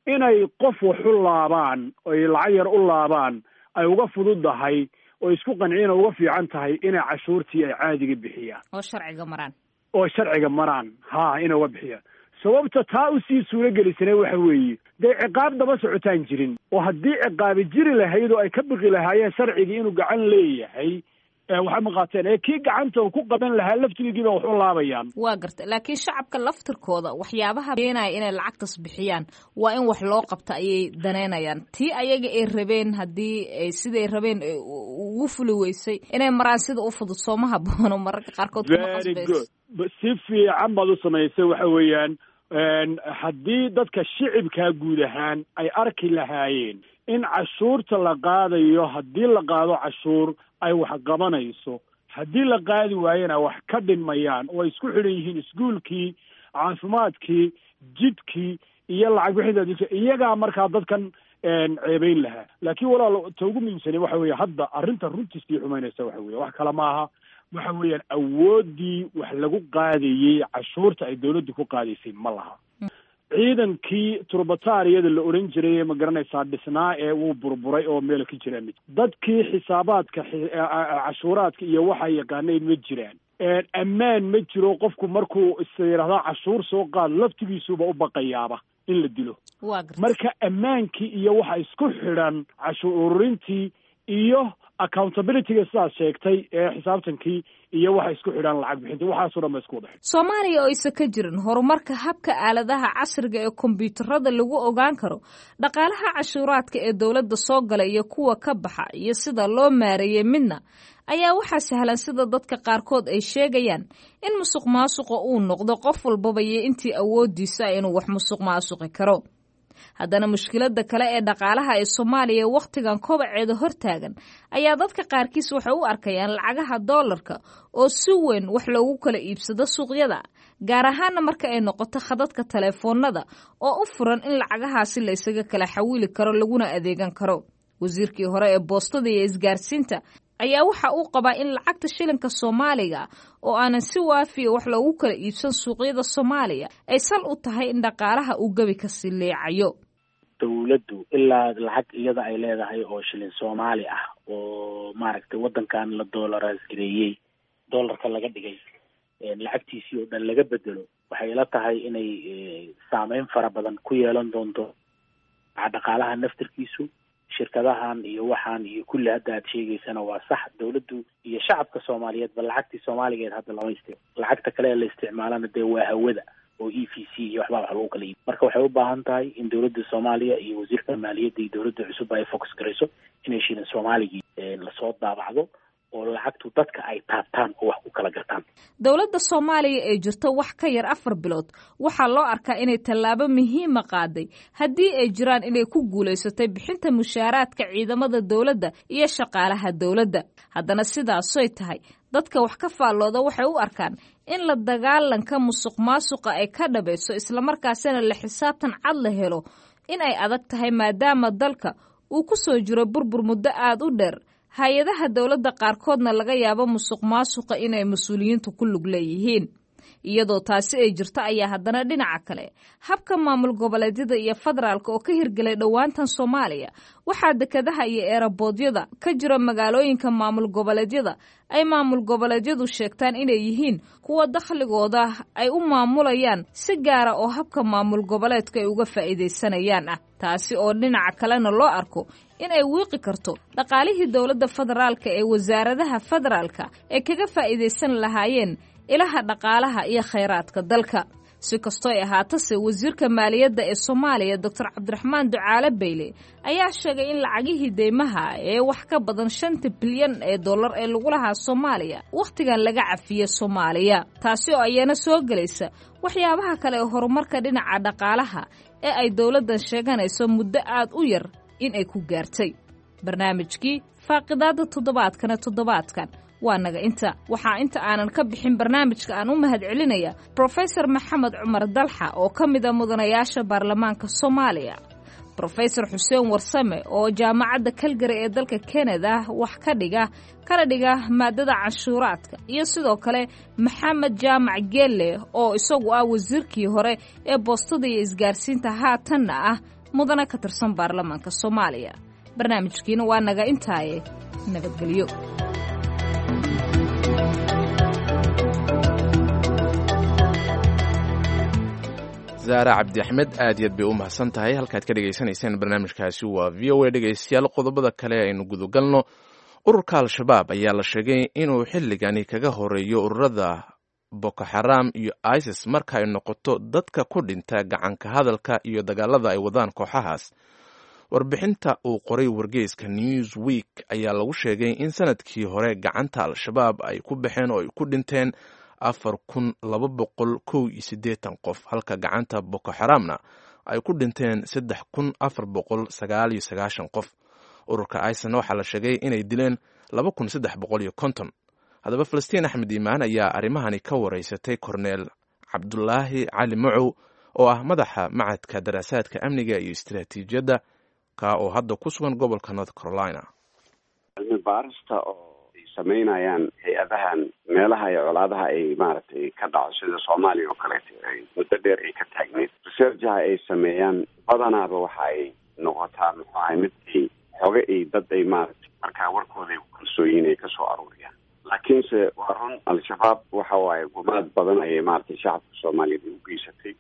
inay qof wax u laabaan, oy lacag yar u laabaan, ay uga fududahay oo isku qanciin oo uga fiican tahay inay cashuurtii ay caadiga bixiyaan oo sharciga maraan oo sharciga maraan ha inay uga bixiyaan. Sababta taa usii suuro gelisana waxa weeye dee ciqaab daba socotaan jirin, oo haddii ciqaabi jiri lahayd oo ay ka biqi lahaayeen sharcigii inuu gacan leeyahay, waxay ma qaateen ee kii gacanta uu ku qaban lahaa laftigiiba wax u laabayaan. Waa garta, laakiin shacabka laftirkooda waxyaabaha keenaya inay lacagtas bixiyaan waa in wax loo qabta ayay daneynayaan. Tii ayaga ay rabeen haddii ay siday rabeen ugu fuli weysay inay maraan sida u fudud sooma haboono mararka qaarkood kuma qasbayso. Si fiican baad u samaysay. Waxa weeyaan haddii dadka shicibkaa guud ahaan ay arki lahaayeen in cashuurta la qaadayo, haddii la qaado cashuur ay wax qabanayso, haddii la qaadi waayena wax ka dhinmayaan, oo ay isku xidhan yihiin iskuulkii, caafimaadkii, jidkii iyo lacag bixinta, iyagaa markaa dadkan ceebeyn lahaa. Laakiin walaal, ta ugu muhiimsani waxa weeye hadda arrinta runtii sii xumaynaysa waxa weeye wax kale maaha, waxa weeyaan awooddii wax lagu qaadayey cashuurta ay dawladdu ku qaadaysay ma laha. Ciidankii turbataariyada la odhan jiray ma garanaysaa dhisnaa ee wuu burburay oo meel ka jiraan ma dadkii xisaabaadka cashuuraadka iyo waxa yaqaanayn ma jiraan, ammaan ma jiro. Qofku markuu is yidhahdaa cashuur soo qaad laftigiisuba u baqayaaba in la dilo. Marka ammaankii iyo waxa isku xidhan cashuur ururintii iyo accountabilityga sidaad sheegtay ee xisaabtankii iyo waxa isku xidhan lacag bixinta, waxaasoo dhan ba isku wada xidhan. Soomaaliya oo aysan ka jirin horumarka habka aaladaha casriga ee kombiyuutarada lagu ogaan karo dhaqaalaha cashuuraadka ee dowladda soo gala iyo kuwa ka baxa iyo sida loo maareeyey midna, ayaa waxaa sahlan sida dadka qaarkood ay sheegayaan in musuq maasuqa uu noqdo qof walbaba iyo intii awoodiisa inuu wax musuq maasuqi karo. Haddana mushkiladda kale ee dhaqaalaha ee Soomaaliya wakhtigan kobaceeda hortaagan ayaa dadka qaarkiis waxay u arkayaan lacagaha doolarka oo si weyn wax loogu kala iibsado suuqyada, gaar ahaana marka ay noqoto khadadka taleefoonada oo u furan in lacagahaasi la isaga kala xawili karo laguna adeegan karo. Wasiirkii hore ee boostada iyo isgaarsiinta ayaa waxa uu qabaa in lacagta shilinka Soomaaliga oo aanan si waafiya wax loogu kala iibsan suuqyada Soomaaliya ay sal u tahay in dhaqaalaha uu gebi ka sii leecayo. Dawladdu ilaa lacag iyada ay leedahay oo shilin Soomaali ah oo maaragtay waddankan la doolaraas gareeyey, doolarka laga dhigay, lacagtiisii oo dhan laga bedelo, waxay ila tahay inay saameyn fara badan ku yeelan doonto dhaqaalaha naftirkiisu, shirkadahan iyo waxaan iyo kulli hadda aad sheegaysana waa sax. Dawladdu iyo shacabka Soomaaliyeedba lacagtii Soomaaligeed hadda lama istic lacagta kale ee la isticmaalana dee waa hawada oo E V C iyo waxbaa wax lagu kala iib. Marka waxay u baahan tahay in dawladda Soomaaliya iyo wasiirka maaliyadda iyo dawladda cusub ay focus garayso inay shilin Soomaaligii lasoo daabacdo oo lacagtu dadka ay taabtaan oo wax ku kala gartaan. Dowladda Soomaaliya ee jirta wax ka yar afar bilood waxaa loo arkaa inay tallaabo muhiima qaaday haddii ay jiraan inay ku guulaysatay bixinta mushaaraadka ciidamada dowladda iyo shaqaalaha dowladda. Haddana sidaasoy tahay, dadka wax ka faallooda waxay u arkaan in la dagaalanka musuq maasuqa ay ka dhabayso islamarkaasina la xisaabtan cad la helo in ay adag tahay, maadaama dalka uu ku soo jiro burbur muddo aad u dheer, hay-adaha dowladda qaarkoodna laga yaabo musuq maasuqa inay mas-uuliyiintu ku lug leeyihiin. Iyadoo taasi ay jirto ayaa haddana dhinaca kale habka maamul goboleedyada iyo federaalka oo ka hirgelay dhowaantan Soomaaliya, waxaa dekadaha iyo eeraboodyada ka jira magaalooyinka maamul goboleedyada ay maamul goboleedyadu sheegtaan inay yihiin kuwa dakhligooda ay u maamulayaan si gaara oo habka maamul goboleedka ay uga faa'iidaysanayaan ah, taasi oo dhinaca kalena loo arko in ay wiiqi karto dhaqaalihii dowladda federaalka ee wasaaradaha federaalka ay kaga faa'iidaysan lahaayeen ilaha dhaqaalaha iyo khayraadka dalka. Si kastoo ay ahaatase, wasiirka maaliyadda ee Soomaaliya Doctor Cabdiraxmaan Ducaale Beyle ayaa sheegay in lacagihii deymaha ee wax ka badan shanta bilyan ee dollar ee lagu lahaa Soomaaliya wakhtigan laga cafiye Soomaaliya, taasi oo ayana soo gelaysa waxyaabaha kale ee horumarka dhinaca dhaqaalaha ee ay dowladdan sheeganayso muddo aad u yar in ay ku gaartay. Barnaamijkii faaqidaada toddobaadkana toddobaadkan waa naga inta. Waxaa inta aanan ka bixin barnaamijka aan u mahad celinaya Profesor Maxamed Cumar Dalxa oo ka mid a mudanayaasha baarlamaanka Soomaaliya, Brofesor Xuseen Warsame oo jaamacadda Calgary ee dalka Canada wax ka dhiga kana dhiga maadada canshuuraadka, iyo sidoo kale Maxamed Jaamac Geelle oo isagu ah wasiirkii hore ee boostada iyo isgaarsiinta, haatanna ah mudane ka tirsan baarlamaanka Soomaaliya. Barnaamijkiina waa naga intaaye, nabadgelyo. Zaara Cabdi Axmed aad iyaad bay u mahadsan tahay. Halkaad ka dhegaysanayseen barnaamijkaasi waa V O A. Dhegaystayaal, qodobada kale aynu gudagalno. Ururka Al-Shabaab ayaa la sheegay inuu xilligani kaga horeeyo ururada Boko Xaram iyo ISIS marka ay noqoto dadka ku dhinta gacanka hadalka iyo dagaalada ay wadaan kooxahaas. Warbixinta uu qoray wargeyska Newsweek ayaa lagu sheegay in sanadkii hore gacanta Al-Shabaab ay ku baxeen oo ay ku dhinteen afar kun laba boqol kow iyo siddeetan qof, halka gacanta Boko Xaramna ay ku dhinteen saddex kun afar boqol sagaal iyo sagaashan qof. Ururka ISISna waxaa la sheegay inay dileen laba kun saddex boqol iyo konton. Haddaba Falastiin Axmed Iimaan ayaa arrimahani ka wareysatay Korneel Cabdulaahi Cali Macow oo ah madaxa macadka daraasaadka amniga iyo istiraatiijiyadda, ka oo hadda ku sugan gobolka North Carolina. Cilmi baarista oo ay samaynayaan hay-adahan meelaha iyo colaadaha ay maaragtay ka dhaco sida Soomaaliya oo kaleeto ay muddo dheer ay ka taagneyd, researchaha ay sameeyaan badanaaba waxa ay noqotaa muxuu ahay mid ay xoge ay dad ay maaragtay markaa warkooda ay ku kalsooyiin ay kasoo aruuriyaan. Laakiinse waa run, Al-Shabaab waxa waaye gumaad badan ayay maaragtay shacabka Soomaaliyeed ay u geysatay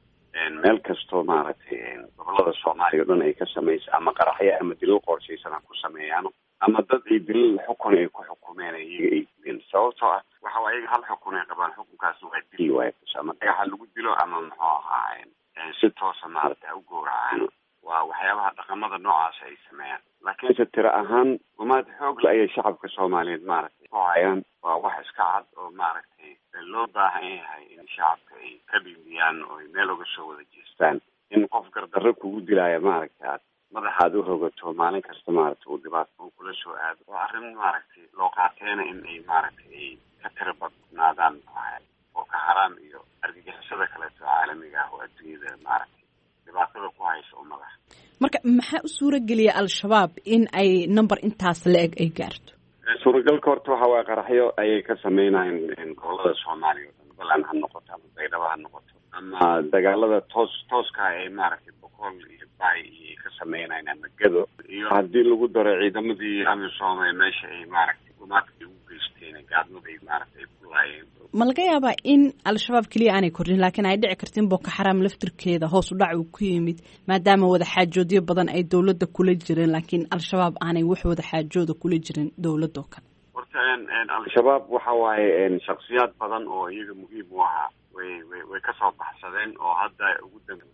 meel kastoo maaragtay gobolada Soomaaliya o dhan ay ka samaysa, ama qaraxyo ama dilal qorshaysan ha ku sameeyaano, ama dad ay dilal xukun ay ku xukumeen iyaga ay dileen. Sababtoo ah waxa waa iyaga hal xukun ay qabaan, xukunkaasna waa dil waaye, ama dhagaxa lagu dilo ama muxuu ahaa si toosa maaragtay ha u gowracaan. Waa waxyaabaha dhaqamada noocaas ay sameeyaan. Laakiinse tiro ahaan gumaad xoogle ayay shacabka Soomaaliyeed maaragtay ku hayaan. Waa wax iska cad oo maaragtay loo baahan yahay in shacabka ay ka dhibiyaan oo ay meel uga soo wada jeestaan. In qof gardarro kugu dilaya maaragtay aad madaxaad u rogato maalin kasta maaragtay uu dhibaato uu kula soo aado, waa arrin maaragtay loo qaateena in ay maaragtay ay ka tiro badnaadaan oo ka xaraam iyo argagixisada kaleeto caalamiga ah oo adduunyada maaragtay dhibaatada ku haysa ummadaha. Marka maxaa u suura geliya Al-Shabaab in ay number intaas la-eg ay gaarto? Suuragalka horta waxa waaye qaraxyo ayay ka sameynayaan gobolada Soomaaliya o dhan, balan ha noqoto ama Baydhabo ha noqoto, ama dagaalada toos tooska ay maaragtay Boqol iyo Bay iyo ka sameynayaan ama Gado, iyo haddii lagu daro ciidamadii AMISOM ee meesha ay maaragtay gumaadka ay ugu geysteen, gaadmada ay maaragtay ay ku laayeen. Ma laga yaabaa in Al-Shabaab keliya aanay kordhin, laakiin ay dhici karto in Boko Xaram laftirkeeda hoos u dhac uu ku yimid, maadaama wadaxaajoodyo badan ay dowladda kula jireen, laakiin Al-Shabaab aanay wax wadaxaajooda kula jirin dowladoo kale? Horta Al-Shabaab waxa waaye shaksiyaad badan oo iyaga muhiim u ahaa way way way kasoo baxsadeen, oo hadda ugu dambe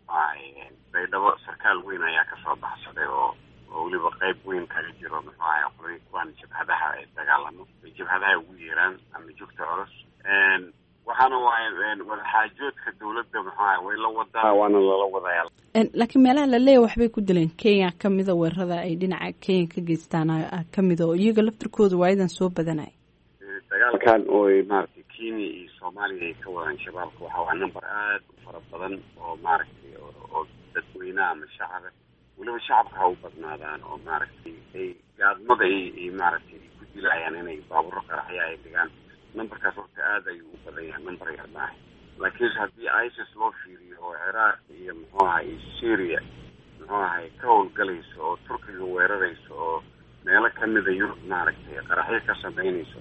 Baydhabo sarkaal weyn ayaa kasoo baxsaday oo oo weliba qayb weyn kaga jiro muxuu ahay qolay kuwaan jabhadaha ay dagaalamo ay jabhadaha ugu yeeraan ama joogta culus. Waxaana waaye wadaxaajoodka dowladda muxuu ahay way la wadaa, waana lala wadayaa. Laakiin meelaha la leeyahay waxbay ku dileen Kenya kamida, weerarada ay dhinaca Kenya ka geystaan kamida, oo iyaga laftirkooda waayadan soo badanaya. Dagaalkan oo maaragtay Kenya iyo Soomaaliya ay ka wadaan shabaabka waxa waa number aad u fara badan oo maaragtay oo dadweynaha ama shacaba, weliba shacabka ha u badnaadaan, oo maaragtay ay gaadmada ay maaragtay ku dilayaan inay baabuuro qaraxya ay dhigaan. Numberkaas horta aad ayuu u badan yahay, number yar maaha. Laakiinse haddii ISIS loo fiiriyo oo Ciraaq iyo muxuu ahay Syria muxuu ahay ka howlgalayso oo Turkiga weerarayso oo meelo kamida Yurub maaragtay qaraxyo ka sameynayso,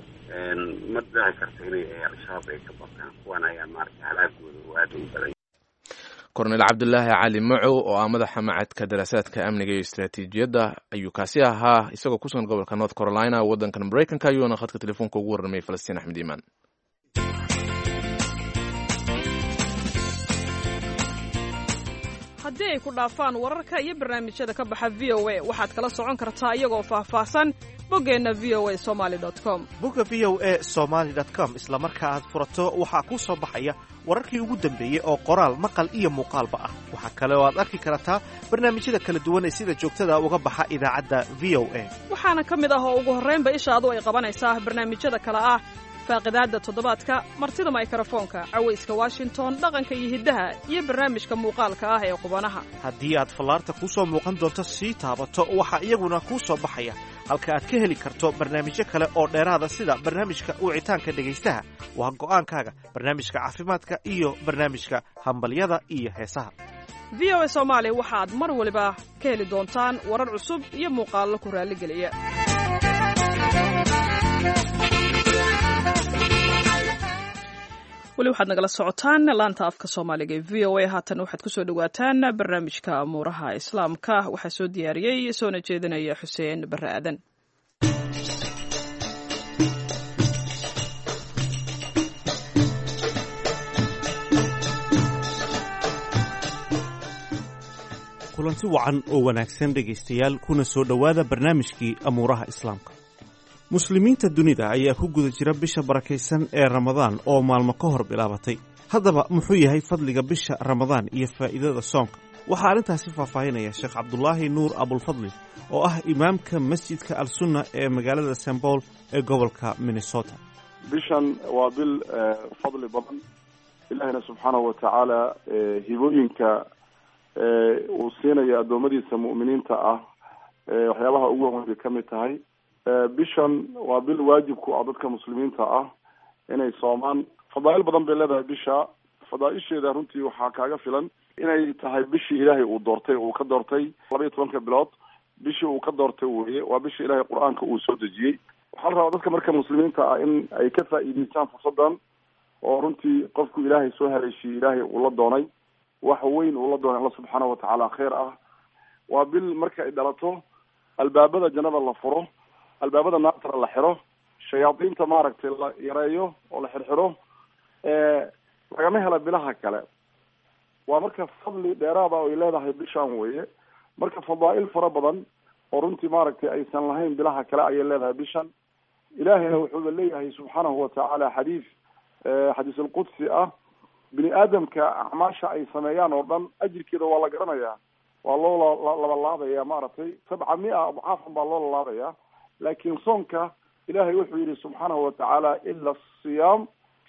ma dhici karto inay Al-Shabaab ay ka bataan. Kuwan ayaa maaragtay halaagooda oo aad ugu badan. Korneel Cabdulaahi Cali Macow oo ah madaxa macadka daraasaadka amniga iyo istiraatiijiyadda ayuu kaasi ahaa, isagoo ku sugan gobolka North Carolina waddankan Maraykanka, ayuuna khadka telefoonka ugu warramay Falastiin Axmed Iimaan. Haddii ay ku dhaafaan wararka iyo barnaamijyada ka baxa V O A, waxaad kala socon kartaa iyagoo faahfaahsan boggeenna V O A somali dot com. Bogga V O A somaly dot com isla marka aad furato waxaa kuu soo baxaya wararkii ugu dambeeyey oo qoraal, maqal iyo muuqaalba ah. Waxaa kale oo aad arki kartaa barnaamijyada kala duwan ee sida joogtada uga baxa idaacadda V O A. Waxaana ka mid ah oo ugu horraynba ishaadu ay qabanaysaa barnaamijyada kale ah Faaqidaadda toddobaadka, martida maykarafoonka, cawayska Washington, dhaqanka iyo hiddaha iyo barnaamijka muuqaalka ah ee qubanaha. Haddii aad fallaarta kuu soo muuqan doonto sii taabato, waxaa iyaguna kuu soo baxaya halka aad ka heli karto barnaamijyo kale oo dheeraada, sida barnaamijka wicitaanka dhegaystaha, waa go'aankaaga, barnaamijka caafimaadka iyo barnaamijka hambalyada iyo heesaha. V O A Soomaali waxaad mar waliba ka heli doontaan warar cusub iyo muuqaallo ku raalligeliya. Weli waxaad nagala socotaan laanta afka Soomaaliga ee V O A. Haatan waxaad kusoo dhawaataan barnaamijka amuuraha Islaamka. Waxaa soo diyaariyey soona jeedinaya Xuseen Barre Aadan. Kulanti wacan oo wanaagsan dhegaystayaal, kuna soo dhowaada barnaamijkii amuuraha Islaamka. Muslimiinta dunida ayaa ku guda jira bisha barakaysan ee Ramadaan oo maalmo ka hor bilaabatay. Haddaba muxuu yahay fadliga bisha Ramadaan iyo faa'iidada soonka? Waxaa arrintaasi faahfaahinaya Sheekh Cabdulaahi Nuur Abulfadli oo ah imaamka masjidka Al-Sunna ee magaalada Saint Paul ee gobolka Minnesota. Bishan waa bil fadli badan. Ilaahina subxaanahu watacaala hibooyinka uu siinayo addoommadiisa mu'miniinta ah waxyaabaha ugu waaweyn bay ka mid tahay. Bishan waa bil waajib ku ah dadka muslimiinta ah inay soomaan. Fadaa'il badan bay leedahay bisha. Fadaaisheeda runtii waxaa kaaga filan inay tahay bishii Ilaahay uu doortay, uu ka doortay laba iyo tobanka bilood, bishii uu ka doortay weye. Waa bishii Ilaahay qur-aanka uu soo dejiyey. Waxaa la rabaa dadka marka muslimiinta ah in ay ka faa'iidaystaan fursaddan oo runtii qofku Ilaahay soo haleeshiyey, Ilaahay uu la doonay wax weyn, uu la doonay Alla subxaanahu watacaala khayr ah. Waa bil marka ay dhalato albaabada jannada la furo, albaabada naartana la xiro, shayaadiinta maaragtay la yareeyo oo la xirxiro. Lagama hela bilaha kale. Waa marka fadli dheeraada ay leedahay bishan weye. Marka fadaa'il fara badan oo runtii maaragtay aysan lahayn bilaha kale ayay leedahay bishan. Ilaahayna wuxuuba leeyahay subxaanahu watacaala xadiis xadiis alqudsi ah, bini aadamka acmaasha ay sameeyaan oo dhan ajirkeeda waa la garanayaa, waa loo labalaabaya maaragtay sabca mia adcaafan baa loo lalaabaya. Laakiin soonka Ilaahay wuxuu yidhi subxaanahu watacaala ila asiyaam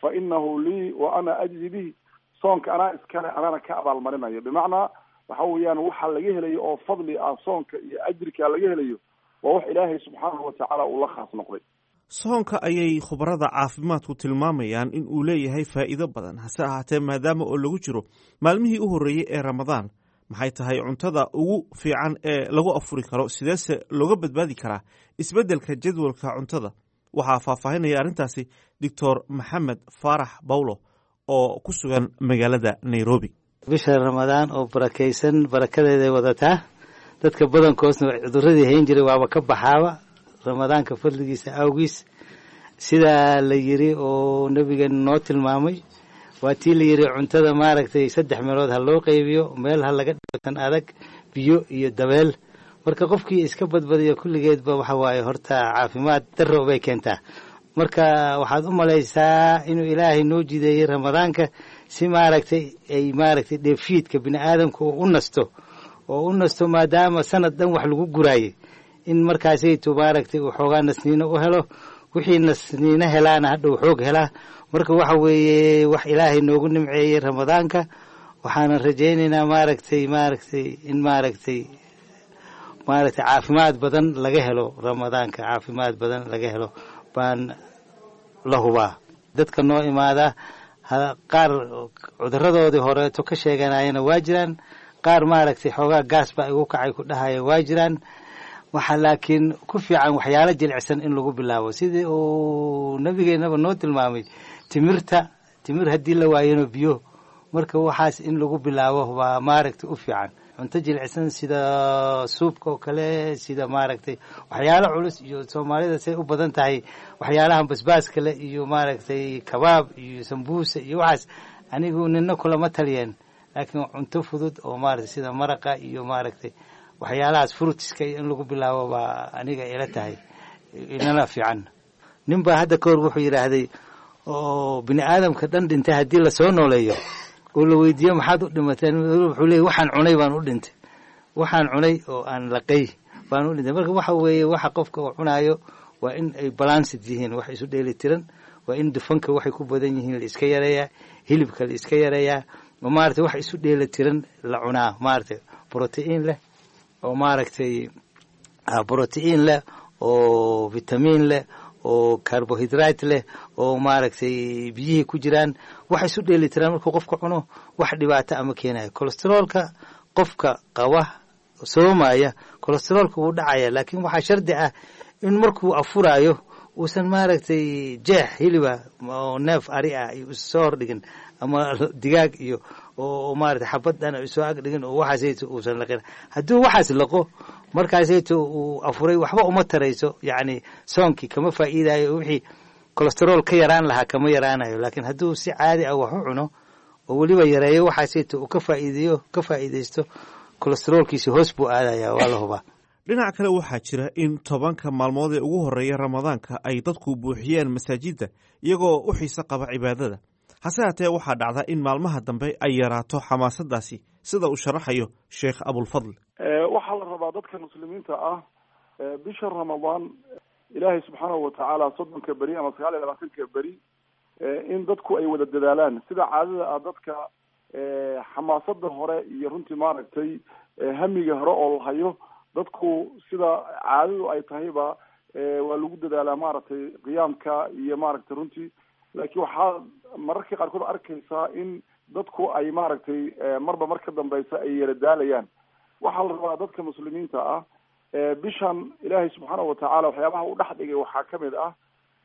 fa inahu lii wa ana ajzi bihi. Soonka anaa iskale, anaana ka abaalmarinayo. Bimacnaa waxa weeyaan waxa laga helayo oo fadli ah soonka iyo ajirka laga helayo waa wax Ilaahay subxaanahu watacaala uu la khaas noqday. Soonka ayay khubarada caafimaadku tilmaamayaan in uu leeyahay faa'iido badan. Hase ahaatee, maadaama oo lagu jiro maalmihii u horreeyey ee Ramadaan, maxay tahay cuntada ugu fiican ee lagu afuri karo? Sideese looga badbaadi karaa isbeddelka jadwalka cuntada? Waxaa faahfaahinaya arrintaasi Doctor Maxamed Faarax Bawlo oo ku sugan magaalada Nairobi. Bisha Ramadaan oo barakaysan, barakadeeday wadataa. Dadka badankoosna cuduradii hayn jiray waaba ka baxaaba Ramadaanka fadligiisa awgiis. Sidaa la yiri oo nabigeena noo tilmaamay, waa tii la yiri cuntada maaragtay saddex meelood ha loo qaybiyo, meel ha laga dhigo tan adag, biyo iyo dabeel. Marka qofkii iska badbadiyo kulligeedba waxa waaye horta caafimaad darro bay keentaa. Marka waxaad u malaysaa inuu Ilaahay noo jideeyey Ramadaanka si maaragtay ay maaragtay dheefshiidka bini aadamka uu u nasto oo u nasto, maadaama sanad dhan wax lagu guraayey, in markaasaytu maaragtay uu xoogaa nasniino u helo. Wixii nasniino helaana hadhow xoog helaa. Marka waxa weeye wax Ilaahay noogu nimceeyey Ramadaanka. Waxaanan rajaynaynaa maaragtay maaragtay in maaragtay maaragtay caafimaad badan laga helo Ramadaanka, caafimaad badan laga helo baan la hubaa. Dadka noo imaada qaar cuduradoodii horeeto ka sheeganayana waa jiraan, qaar maaragtay xoogaa gaas baa igu kacay ku dhahaya waa jiraan. Waxaa laakiin ku fiican waxyaalo jilicsan in lagu bilaabo, sidii uu nabigeenaba noo tilmaamay, timirta, timir haddii la waayona biyo. Marka waxaas in lagu bilaabo baa maaragtay u fiican. Cunto jilicsan sida suubka oo kale, sida maaragtay waxyaalo culus iyo Soomaalida say u badan tahay waxyaalahan basbaaska le iyo maaragtay kabaab iyo sambuusa iyo waxaas, anigu nina kulama taliyeen. Laakiin cunto fudud oo maaragtay sida maraqa iyo maaragtay waxyaalahaas fruitiska in lagu bilaabo baa aniga ila tahay inala fiican. Nin baa hadda kahor wuxuu yidhaahday oo bini aadamka dhan dhintay haddii lasoo nooleeyo oo la weydiiyo maxaad u dhimateen, wuxuu leeyay waxaan cunay baan u dhintay, waxaan cunay oo aan laqay baan u dhintay. Marka waxa weeye waxa qofka uu cunaayo waa in ay balanced yihiin, wax isu dheeli tiran. Waa in dufanka waxay ku badan yihiin la iska yareeyaa, hilibka la iska yareeyaa, oo maaragtay wax isu dheela tiran la cunaa, maaragtay brotiin leh oo maaragtay brotiin leh oo vitamiin leh oo carbohydrate leh oo maaragtay biyihii ku jiraan, wax isu dheeli tiraan markuu qofka cuno wax dhibaato ama keenayo. Cholesteroolka qofka qaba soomaya cholesteroolka wuu dhacaya, laakiin waxaa shardi ah in markuu afuraayo uusan maaragtay jeex hiliba oo neef ari ah iyo soo hordhigin ama digaag iyo oo maaragtay xabad dhan soo ag dhigin oo waxaasayto uusan laqin. Hadduu waxaas laqo markaasayto uu afuray waxba uma tarayso, yacni soonkii kama faa'iidayo, wixii cholesterool ka yaraan lahaa kama yaraanayo. Laakiin hadduu si caadi ah wax u cuno oo weliba yareeyo waxaasayto uu ka faa'iideeyo ka faa'iidaysto, cholesteroolkiisi hoos buu aadaya, waa la hubaa. Dhinaca kale waxaa jira in tobanka maalmood ee ugu horreeya ramadaanka ay dadku buuxiyeen masaajidda iyagoo u xiise qaba cibaadada. Hase haatee waxaa dhacda in maalmaha dambe ay yaraato xamaasaddaasi, sida uu sharaxayo Sheekh Abulfadl. Waxaa la rabaa dadka muslimiinta ah bisha Ramadaan Ilaahay subxaanahu watacaala soddonka beri ama sagaal iyo labaatanka beri in dadku ay wada dadaalaan sida caadada ah. Dadka xamaasada hore iyo runtii maaragtay hamiga hore oo la hayo, dadku sida caadadu ay tahayba waa lagu dadaalaa maaragtay qiyaamka iyo maaragtay runtii. Laakiin waxaa mararka qaarkood arkaysaa in dadku ay maaragtay marba mar ka dambeysa ay yara daalayaan. Waxaa la rabaa dadka muslimiinta ah bishan Ilaahay subxaanahu watacaala waxyaabaha u dhex dhigay waxaa kamid ah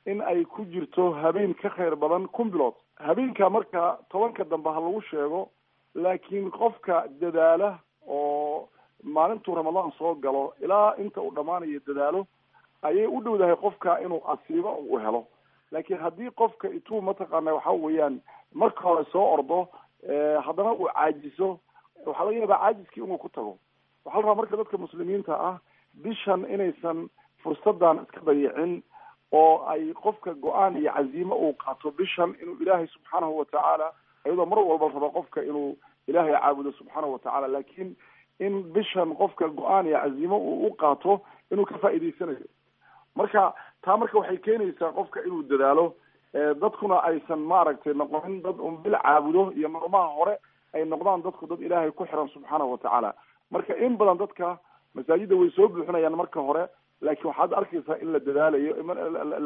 in ay ku jirto habeen ka khayr badan kun bilood. Habeenka marka tobanka dambe ha lagu sheego, laakiin qofka dadaala oo maalintuu Ramadaan soo galo ilaa inta uu dhammaanayo dadaalo, ayay u dhowdahay qofka inuu asiibo uu helo. Laakiin haddii qofka ituu mataqaana waxa weeyaan marka hore soo ordo haddana uu caajiso, waxaa laga yaabaa caajiskii inuu ku tago. Waxaa la rabaa marka dadka muslimiinta ah bishan inaysan fursadan iska dayicin oo ay qofka go-aan iyo caziimo uu qaato bishan inuu Ilaahay subxaanahu watacaala, iyadoo mar walba la rabo qofka inuu Ilaahay caabudo subxaanahu watacaala, laakiin in bishan qofka go-aan iyo caziimo uu u qaato inuu ka faa'iidaysanayo. Marka taa marka waxay keenaysaa qofka inuu dadaalo, dadkuna aysan maaragtay noqonin dad un bil caabudo iyo maalmaha hore, ay noqdaan dadku dad Ilaahay ku xiran subxaanahu watacaala. Marka in badan dadka masaajidda way soo buuxinayaan marka hore, laakiin waxaad arkaysaa in la dadaalayo,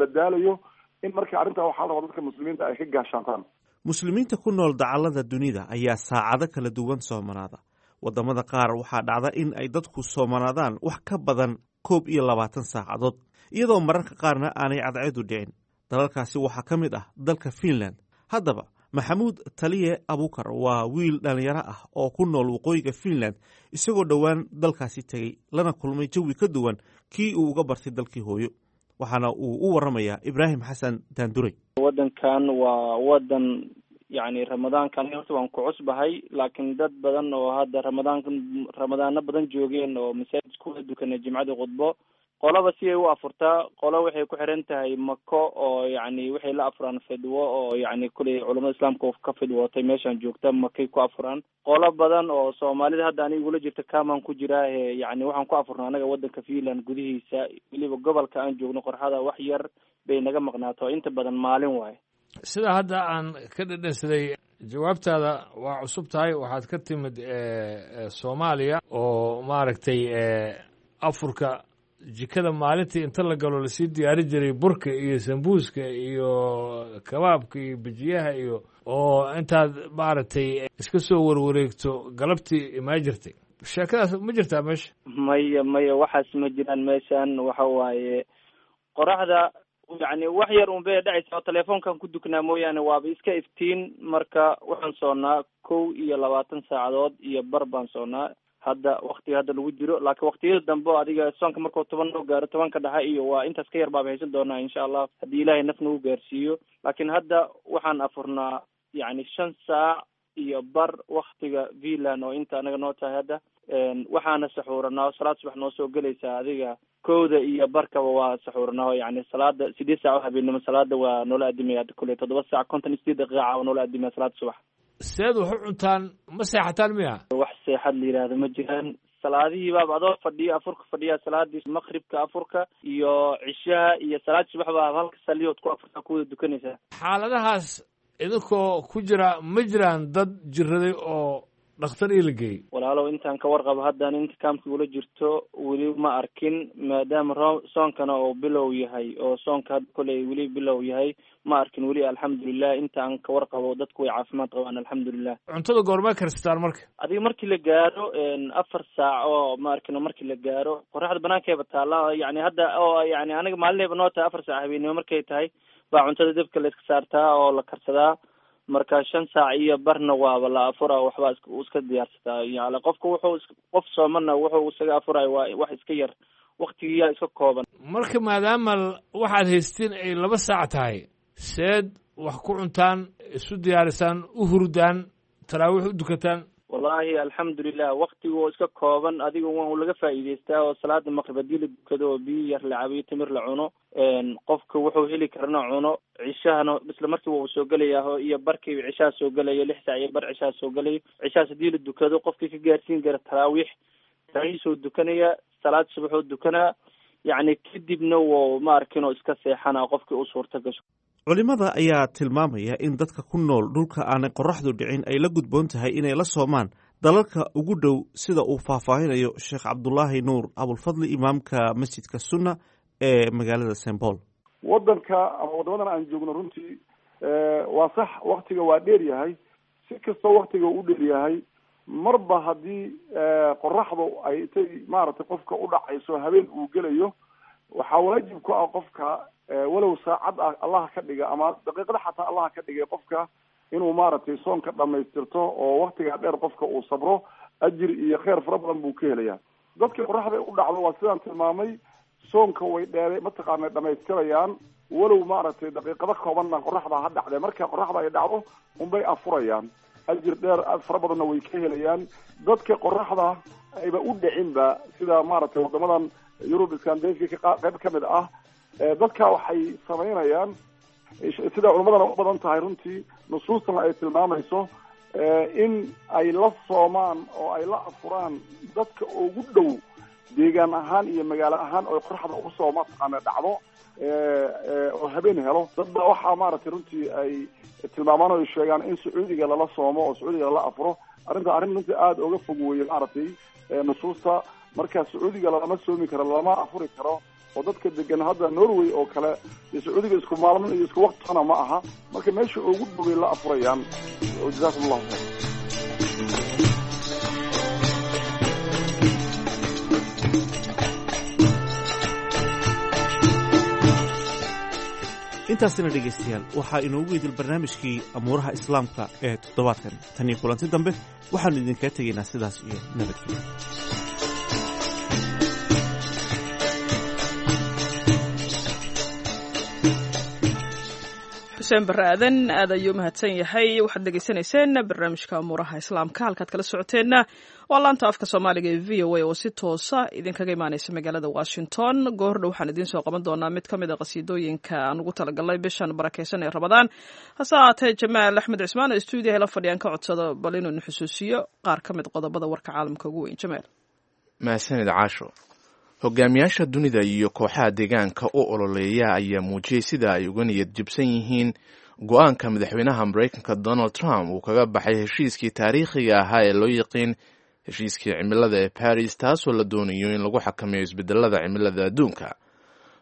la daalayo in marka arrintaa waxaa la rabaa dadka muslimiinta ay ka gaashaantaan. Muslimiinta ku nool dacallada dunida ayaa saacado kala duwan soomanaada. Waddamada qaar waxaa dhacda in ay dadku soomanaadaan wax ka badan koob iyo labaatan saacadood, iyadoo mararka qaarna aanay cadceedu dhicin. Dalalkaasi waxaa ka mid ah dalka Finland. Haddaba Maxamuud Taliye Abukar waa wiil dhallinyaro ah oo ku nool waqooyiga Finland, isagoo dhowaan dalkaasi tegey lana kulmay jawi ka duwan kii uu uga bartay dalkii hooyo. Waxaana uu u waramayaa Ibraahim Xasan Daanduray. Waddankan waa waddan yacni ramadaanka aniga horta waan ku cusbahay, laakiin dad badan oo hadda ramadaanka ramadaano badan joogeen oo masaajid kuwada dukanay jimcada khudbo, qolaba si ay u afurtaa. Qolo waxay ku xiran tahay mako oo yacni waxay la afuraan fidwo oo yacni kuley culamada islaamka ka fidwootay meeshaan joogta makay ku afuraan. Qolo badan oo soomaalida hadda aniga igula jirta kamaan ku jiraa ee yacni waxaan ku afurnaa anaga waddanka Finland gudihiisa, weliba gobolka aan joogno qorxada wax yar bay naga maqnaato, inta badan maalin waaye. Sida hadda aan ka dhadhansaday jawaabtaada, waa cusub tahay, waxaad ka timid Soomaaliya oo maaragtay afurka jikada maalintii inta la galo lasii diyaari jiray burka iyo sambuuska iyo kabaabka iyo bijiyaha iyo oo intaad maaragtay iska soo warwareegto galabtii imaa jirtay. Sheekadaas ma jirtaa meesha? Maya maya, waxaas ma jiraan meeshan. Waxa waaye qoraxda yacni wax yar un bay dhacaysa oo telefoonkan ku duknaa mooyaane, waaba iska iftiin. Marka waxaan soonnaa kow iyo labaatan saacadood iyo bar baan soonnaa hadda waktiga hadda lagu jiro, laakiin waktiyada dambe o adiga soonka markuu toban noo gaaro, tobanka dhexe iyo waa intaas ka yar baaba haysan doonaa insha Allah haddii Ilaahay naf nagu gaarsiiyo. Laakiin hadda waxaan afurnaa yacni shan saac iyo bar waktiga Finland oo inta anaga noo tahay hadda. Waxaana saxuuranaa salaad subax noo soo gelaysaa adiga kowda iyo barkaba waa saxuuranaa oo yacni salaada sideed saac oo habeenimo salaada waa noola adimaya hadda kuley toddoba saac konton iyo sideed daqiiqa waa noola adimaya salaada subax. Seed wax u cuntaan, ma seexataan miya? Wax seexad la yidhaahdo ma jiraan. Salaadihii baaba adoo fadhiyo afurka fadhiya, salaadii maqribka, afurka iyo cishaha iyo salaad subax baa halka saliyood ku afurta ku wada dukanaysaa. Xaaladahaas idinkoo ku jira, ma jiraan dad jiraday oo dhakhtar ii la geeyey? Walaalow, intaan ka warqabo haddaan inta kaamka ula jirto weli ma arkin, maadaama ro soonkana oo bilow yahay, oo soonka hadda koley weli bilow yahay, ma arkin weli, alxamdulilah. Inta aan ka warqabo dadku way caafimaad qabaan, alxamdulilah. Cuntada goormee karsataan marka? Adiga markii la gaaro afar saac oo ma arkin, markii la gaaro qoraxda banaankeeba taalla, yani hadda oo yani aniga maalinayba noo tahay, afar saac habeenimo markay tahay baa cuntada dabka la iska saartaa oo la karsadaa. Marka shan saac iyo barna waaba la afura, waxbaa is iska diyaarsataa. Yani qofka wuxuu qof soomana wuxuu isaga afurayo waa wax iska yar, waktigiyaa iska kooban. Marka maadaama waxaad haystiin ay laba saac tahay, seed wax ku cuntaan, isu diyaarisaan, u hurdaan, taraawiix u dukataan? Wallahi alxamdulilah, waktigu oo iska kooban, adiga waa laga faa'iidaystaa oo salaada maqrib hadii la dukado oo biyo yar la cabiyo, timir la cuno, qofka wuxuu heli karana cuno, cishahana isla markiiba uu soo gelayaa iyo barkiiba cishaha soo gelaya, lix saac iyo bar cishaha soo gelaya. Cishahaas hadii la dukado, qofkii ka gaarsiin kara taraawiix taraawiixsuu dukanaya, salaad subaxuu dukanaa, yacni kadibna wuu ma arkin oo iska seexana qofkii u suurta gasho. Culimada ayaa tilmaamaya in dadka ku nool dhulka aanay qoraxdu dhicin ay la gudboon tahay inay la soomaan dalalka ugu dhow, sida uu faahfaahinayo Sheekh Cabdulaahi Nuur Abulfadli, imaamka masjidka Sunna ee magaalada Saint Paul. Wadanka ama waddamadan aan joogno runtii waa sax, waktiga waa dheer yahay. Si kastoo waktiga u dheer yahay, marba haddii qoraxdu ay intay maaragtay qofka u dhacayso habeen uu gelayo, waxaa waajib ku ah qofka, walow saacad ah Allah ka dhiga ama daqiiqada xataa Allah ka dhigay, qofka inuu maaragtay soonka dhamaystirto oo waktigaa dheer qofka uu sabro, ajir iyo kheyr fara badan buu ka helayaa. Dadka qoraxda u dhacdo waa sidaan tilmaamay, soonka way dheere mataqaana dhamaystirayaan, walow maaragtay daqiiqado koobanna qoraxda ha dhacde. Marka qoraxda ay dhacdo unbay afurayaan, ajir dheer fara badanna way ka helayaan. Dadka qoraxda ayba u dhicinba, sida maaragtay waddamadan Yurub, Scandinavia qayb ka mid ah, dadka waxay samaynayaan sida culimadana u badan tahay runtii, nusuustana ay tilmaamayso, in ay la soomaan oo ay la afuraan dadka ugu dhow deegaan ahaan iyo magaalo ahaan oo qoraxda ugu soo mataqaana dhacdo oo habeen helo. Dad baa waxaa maaragtay runtii ay tilmaamaan oo ay sheegaan in Sacuudiga lala soomo oo Sacuudiga lala afuro. Arrinta arrin runtii aada uga fog weeye maaragtay nusuusta. Marka Sacuudiga lalama soomi karo, lalama afuri karo, oo dadka degan hadda Norway oo kale iyo Sacuudiga isku maalmo iyo isku waqtana ma aha. Marka meesha ugu dhoway la afurayaan. Jazaakum allahu khayr. Intaasina dhegaystayaal waxaa inoogu idil barnaamijkii amuuraha islaamka ee toddobaadkan. Tan iyo kulanti dambe waxaannu idinkaga tegaynaa sidaas iyo nabadgelyo. Xuseen Barre Aadan aad ayuu mahadsan yahay. Waxaad dhegaysanayseen barnaamijka amuuraha islaamka, halkaad kala socoteenna waa laanta afka Soomaaliga ee V O A oo si toosa idinkaga imaaneysa magaalada Washington. Goordhow waxaan idiin soo qaban doonaa mid ka mid a qasiidooyinka aan ugu talagalnay bishan barakeysan ee Ramadaan. Hase ahaatee Jamaal Axmed Cismaan oo stuudiyaha la fadhiyaan ka codsado bal inuu na xusuusiyo qaar ka mid qodobada warka caalamka ugu weyn. Jamaal. Mahadsanid Caasho. Hogaamiyaasha dunida iyo kooxaha deegaanka u ololeeya ayaa muujiyey sida ay uga niyad jibsan yihiin go-aanka madaxweynaha Maraykanka Donald Trump uu kaga baxay heshiiskii taariikhiga ahaa ee loo yiqiin heshiiskii cimilada ee Paris, taasoo la doonayo in lagu xakameeyo isbedelada cimilada adduunka.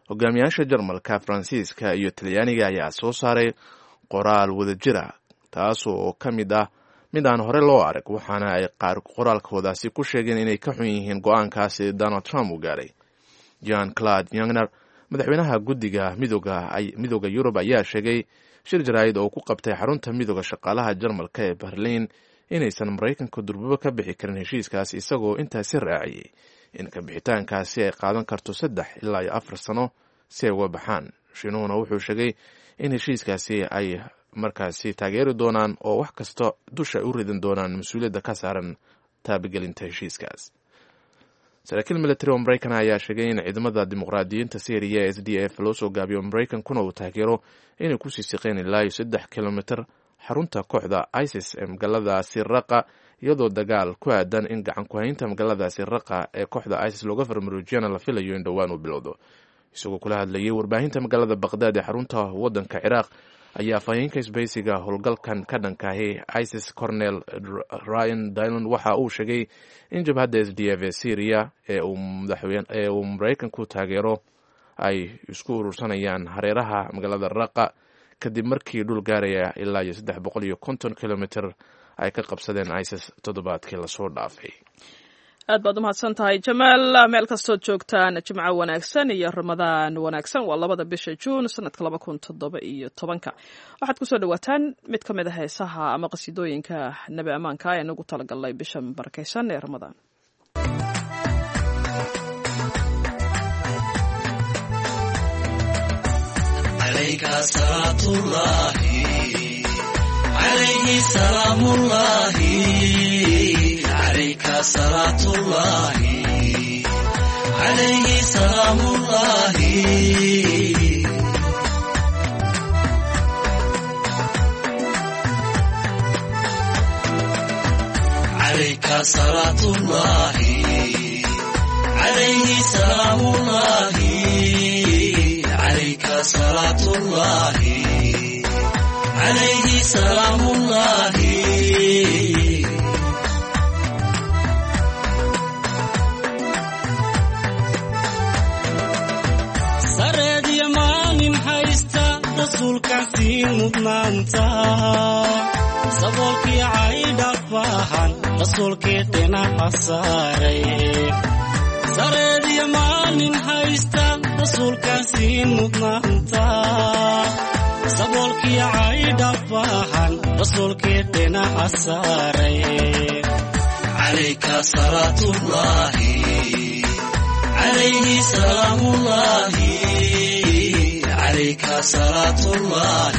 Hogaamiyaasha Jarmalka, Faransiiska iyo Talyaaniga ayaa soo saaray qoraal wadajira, taasoo ka mid ah mid aan hore loo arag, waxaana ay qaar qoraalkoodaasi ku sheegeen inay ka xun yihiin go-aankaasi Donald Trump uu gaaray. John Claude Youngner, madaxweynaha guddiga midooda midooda Yurub, ayaa sheegay shir jaraa'id oo ku qabtay xarunta midooda shaqaalaha Jarmalka ee Berliin inaysan Maraykanka durbuba ka bixi karin heshiiskaas, isagoo intaasi raaciyey in kabixitaankaasi ay qaadan karto saddex ilaa iyo afar sano si ay uga baxaan. Shiinuhuna wuxuu sheegay in heshiiskaasi ay markaasi taageeri doonaan oo wax kasta dusha ay u ridan doonaan mas-uuliyadda ka saaran taabagelinta heshiiskaas. Saraakiil military oo Maraykan ayaa sheegay in ciidamada dimuqraadiyiinta Syriya ee S D F loo soo gaabiyo, Maraykankuna uu taageero, inay kusii siqeen ilaa iyo saddex kilomitir xarunta kooxda ISIS ee magaalada Siraqa, iyadoo dagaal ku aadan in gacan ku-haynta magaaladaasi raqa ee kooxda isis looga farmaroojiyana la filayo in dhowaan uu bilowdo. Isagoo kula hadlayay warbaahinta magaalada Baqdaad ee xarunta waddanka Ciraaq ayaa afhayeenka isbahaysiga howlgalkan ka dhankaahi ISIS Cornel Ryan Dillon waxa uu sheegay in jabhadda S D F ee Syria ee uu ee uu Maraykanku taageero ay isku urursanayaan hareeraha magaalada Raqa kadib markii dhul gaaraya ilaa iyo saddex boqol iyo konton kilomitr ay ka qabsadeen ISIS toddobaadkii lasoo dhaafay. Aad baad umahadsan tahay Jamaal. Meel kastood joogtaan jimco wanaagsan iyo Ramadaan wanaagsan. Waa labada bisha Juun sanadka laba kun toddoba iyo tobanka. Waxaad kusoo dhawaataan mid ka mid a heesaha ama qasiidooyinka nebi ammaanka ee nagu talagalnay bishan barakaysan ee Ramadaan. عليك صلاة الله عليه سلام الله. عليك صلاة الله عليه سلام الله. عليك صلاة الله عليه سلام الله. Rasuulkaasii mudnaanta saboolkii caydhafahan rasuulkii dhinaca saaray sareediyo maalin haysta rasuulkaasii mudnaanta saboolkii caydhafahan rasuulkii dhinaca saaray. Calayka salaatullaahi calayhi salaamullaahi. عليك صلاة الله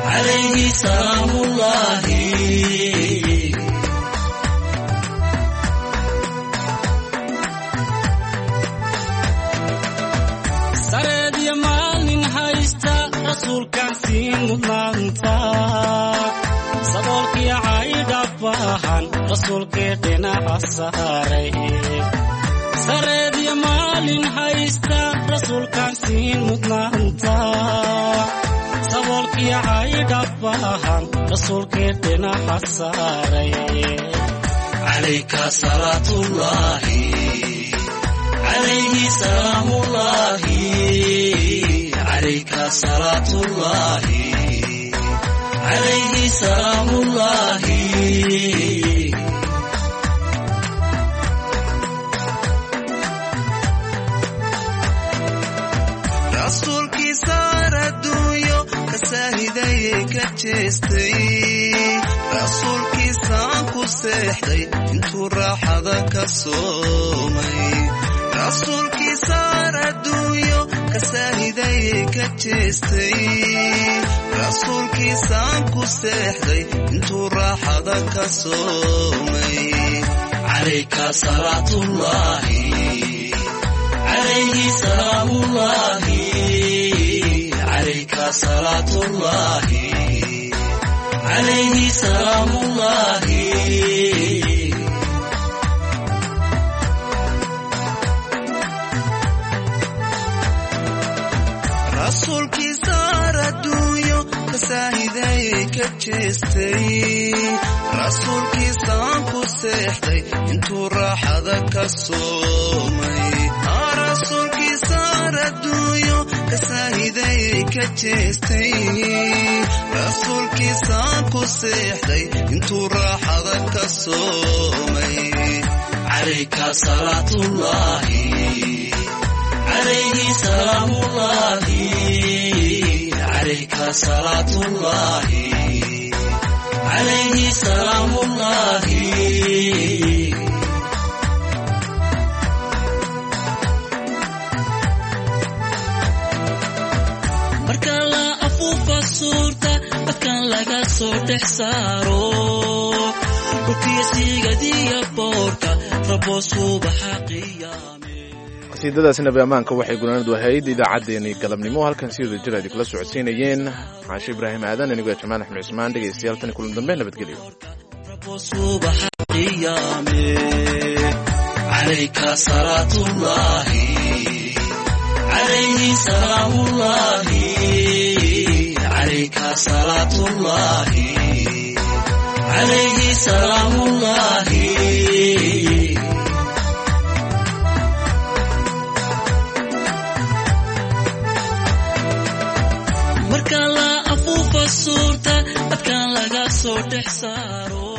عليه سلام الله. Sareed iyo maalin haysta rasuulkaasii mudnaanta saboolkii caydhafahan rasuulkii dhinaca saaray sareed iyo maalin haysta rasuulkaasii mudnaanta saboolkii caydhafahan rasuulkii dhinaca saaray. Calayka salaatullaahi calayhi salaamullaahi. Calayka salaatullaahi calayhi salaamullaahi. Rasuulkii saar adduunyo kasaahidayay ka jeestay rasuulkiisaan ku seexday intuu raaxada ka soomay rasuulkii saar adduunyo kasaahidayay ka jeestay rasuulkiisaan ku seexday intuu raaxada ka soomay. Calayka salaatullaahi عليه سلام الله. عليك صلاة الله عليه سلام الله. Rasuulkii saar adduunyo kasaahidayay ka jeestay rasuulkiisaan ku seexday intuu raaxada ka soomay rasuulkii saar adduunyo kasaahidayay ka jeestay rasuulkiisaan ku seexday intuu raaxada ka soomay. Calayka salaatullaahi عليه سلام الله. عليك صلاة الله عليه سلام الله. Marka la afuufa suurta dadkan laga soo dhex saaro dhulkiyo siigadiya boorka rabo subaxa qiyaame. Qasiidadaasi nabi ammaanka waxay gunaanadu ahayd idaacaddeenii galabnimo. Halkan si wada jir idin kula socodsiinayeen Caashe Ibraahim Aadan, anigoo Jamaal Axmed Cusmaan. Dhegeystayaal, tan kulan dambe, nabadgelyo. Rabo subaxa qiyaame, calayka salaatullaahi, calayhi salaamullaahi, calayka salaatullaahi, calayhi salaamullaahi. Marka la afuufa suurta, dadkan laga soo dhex saaro.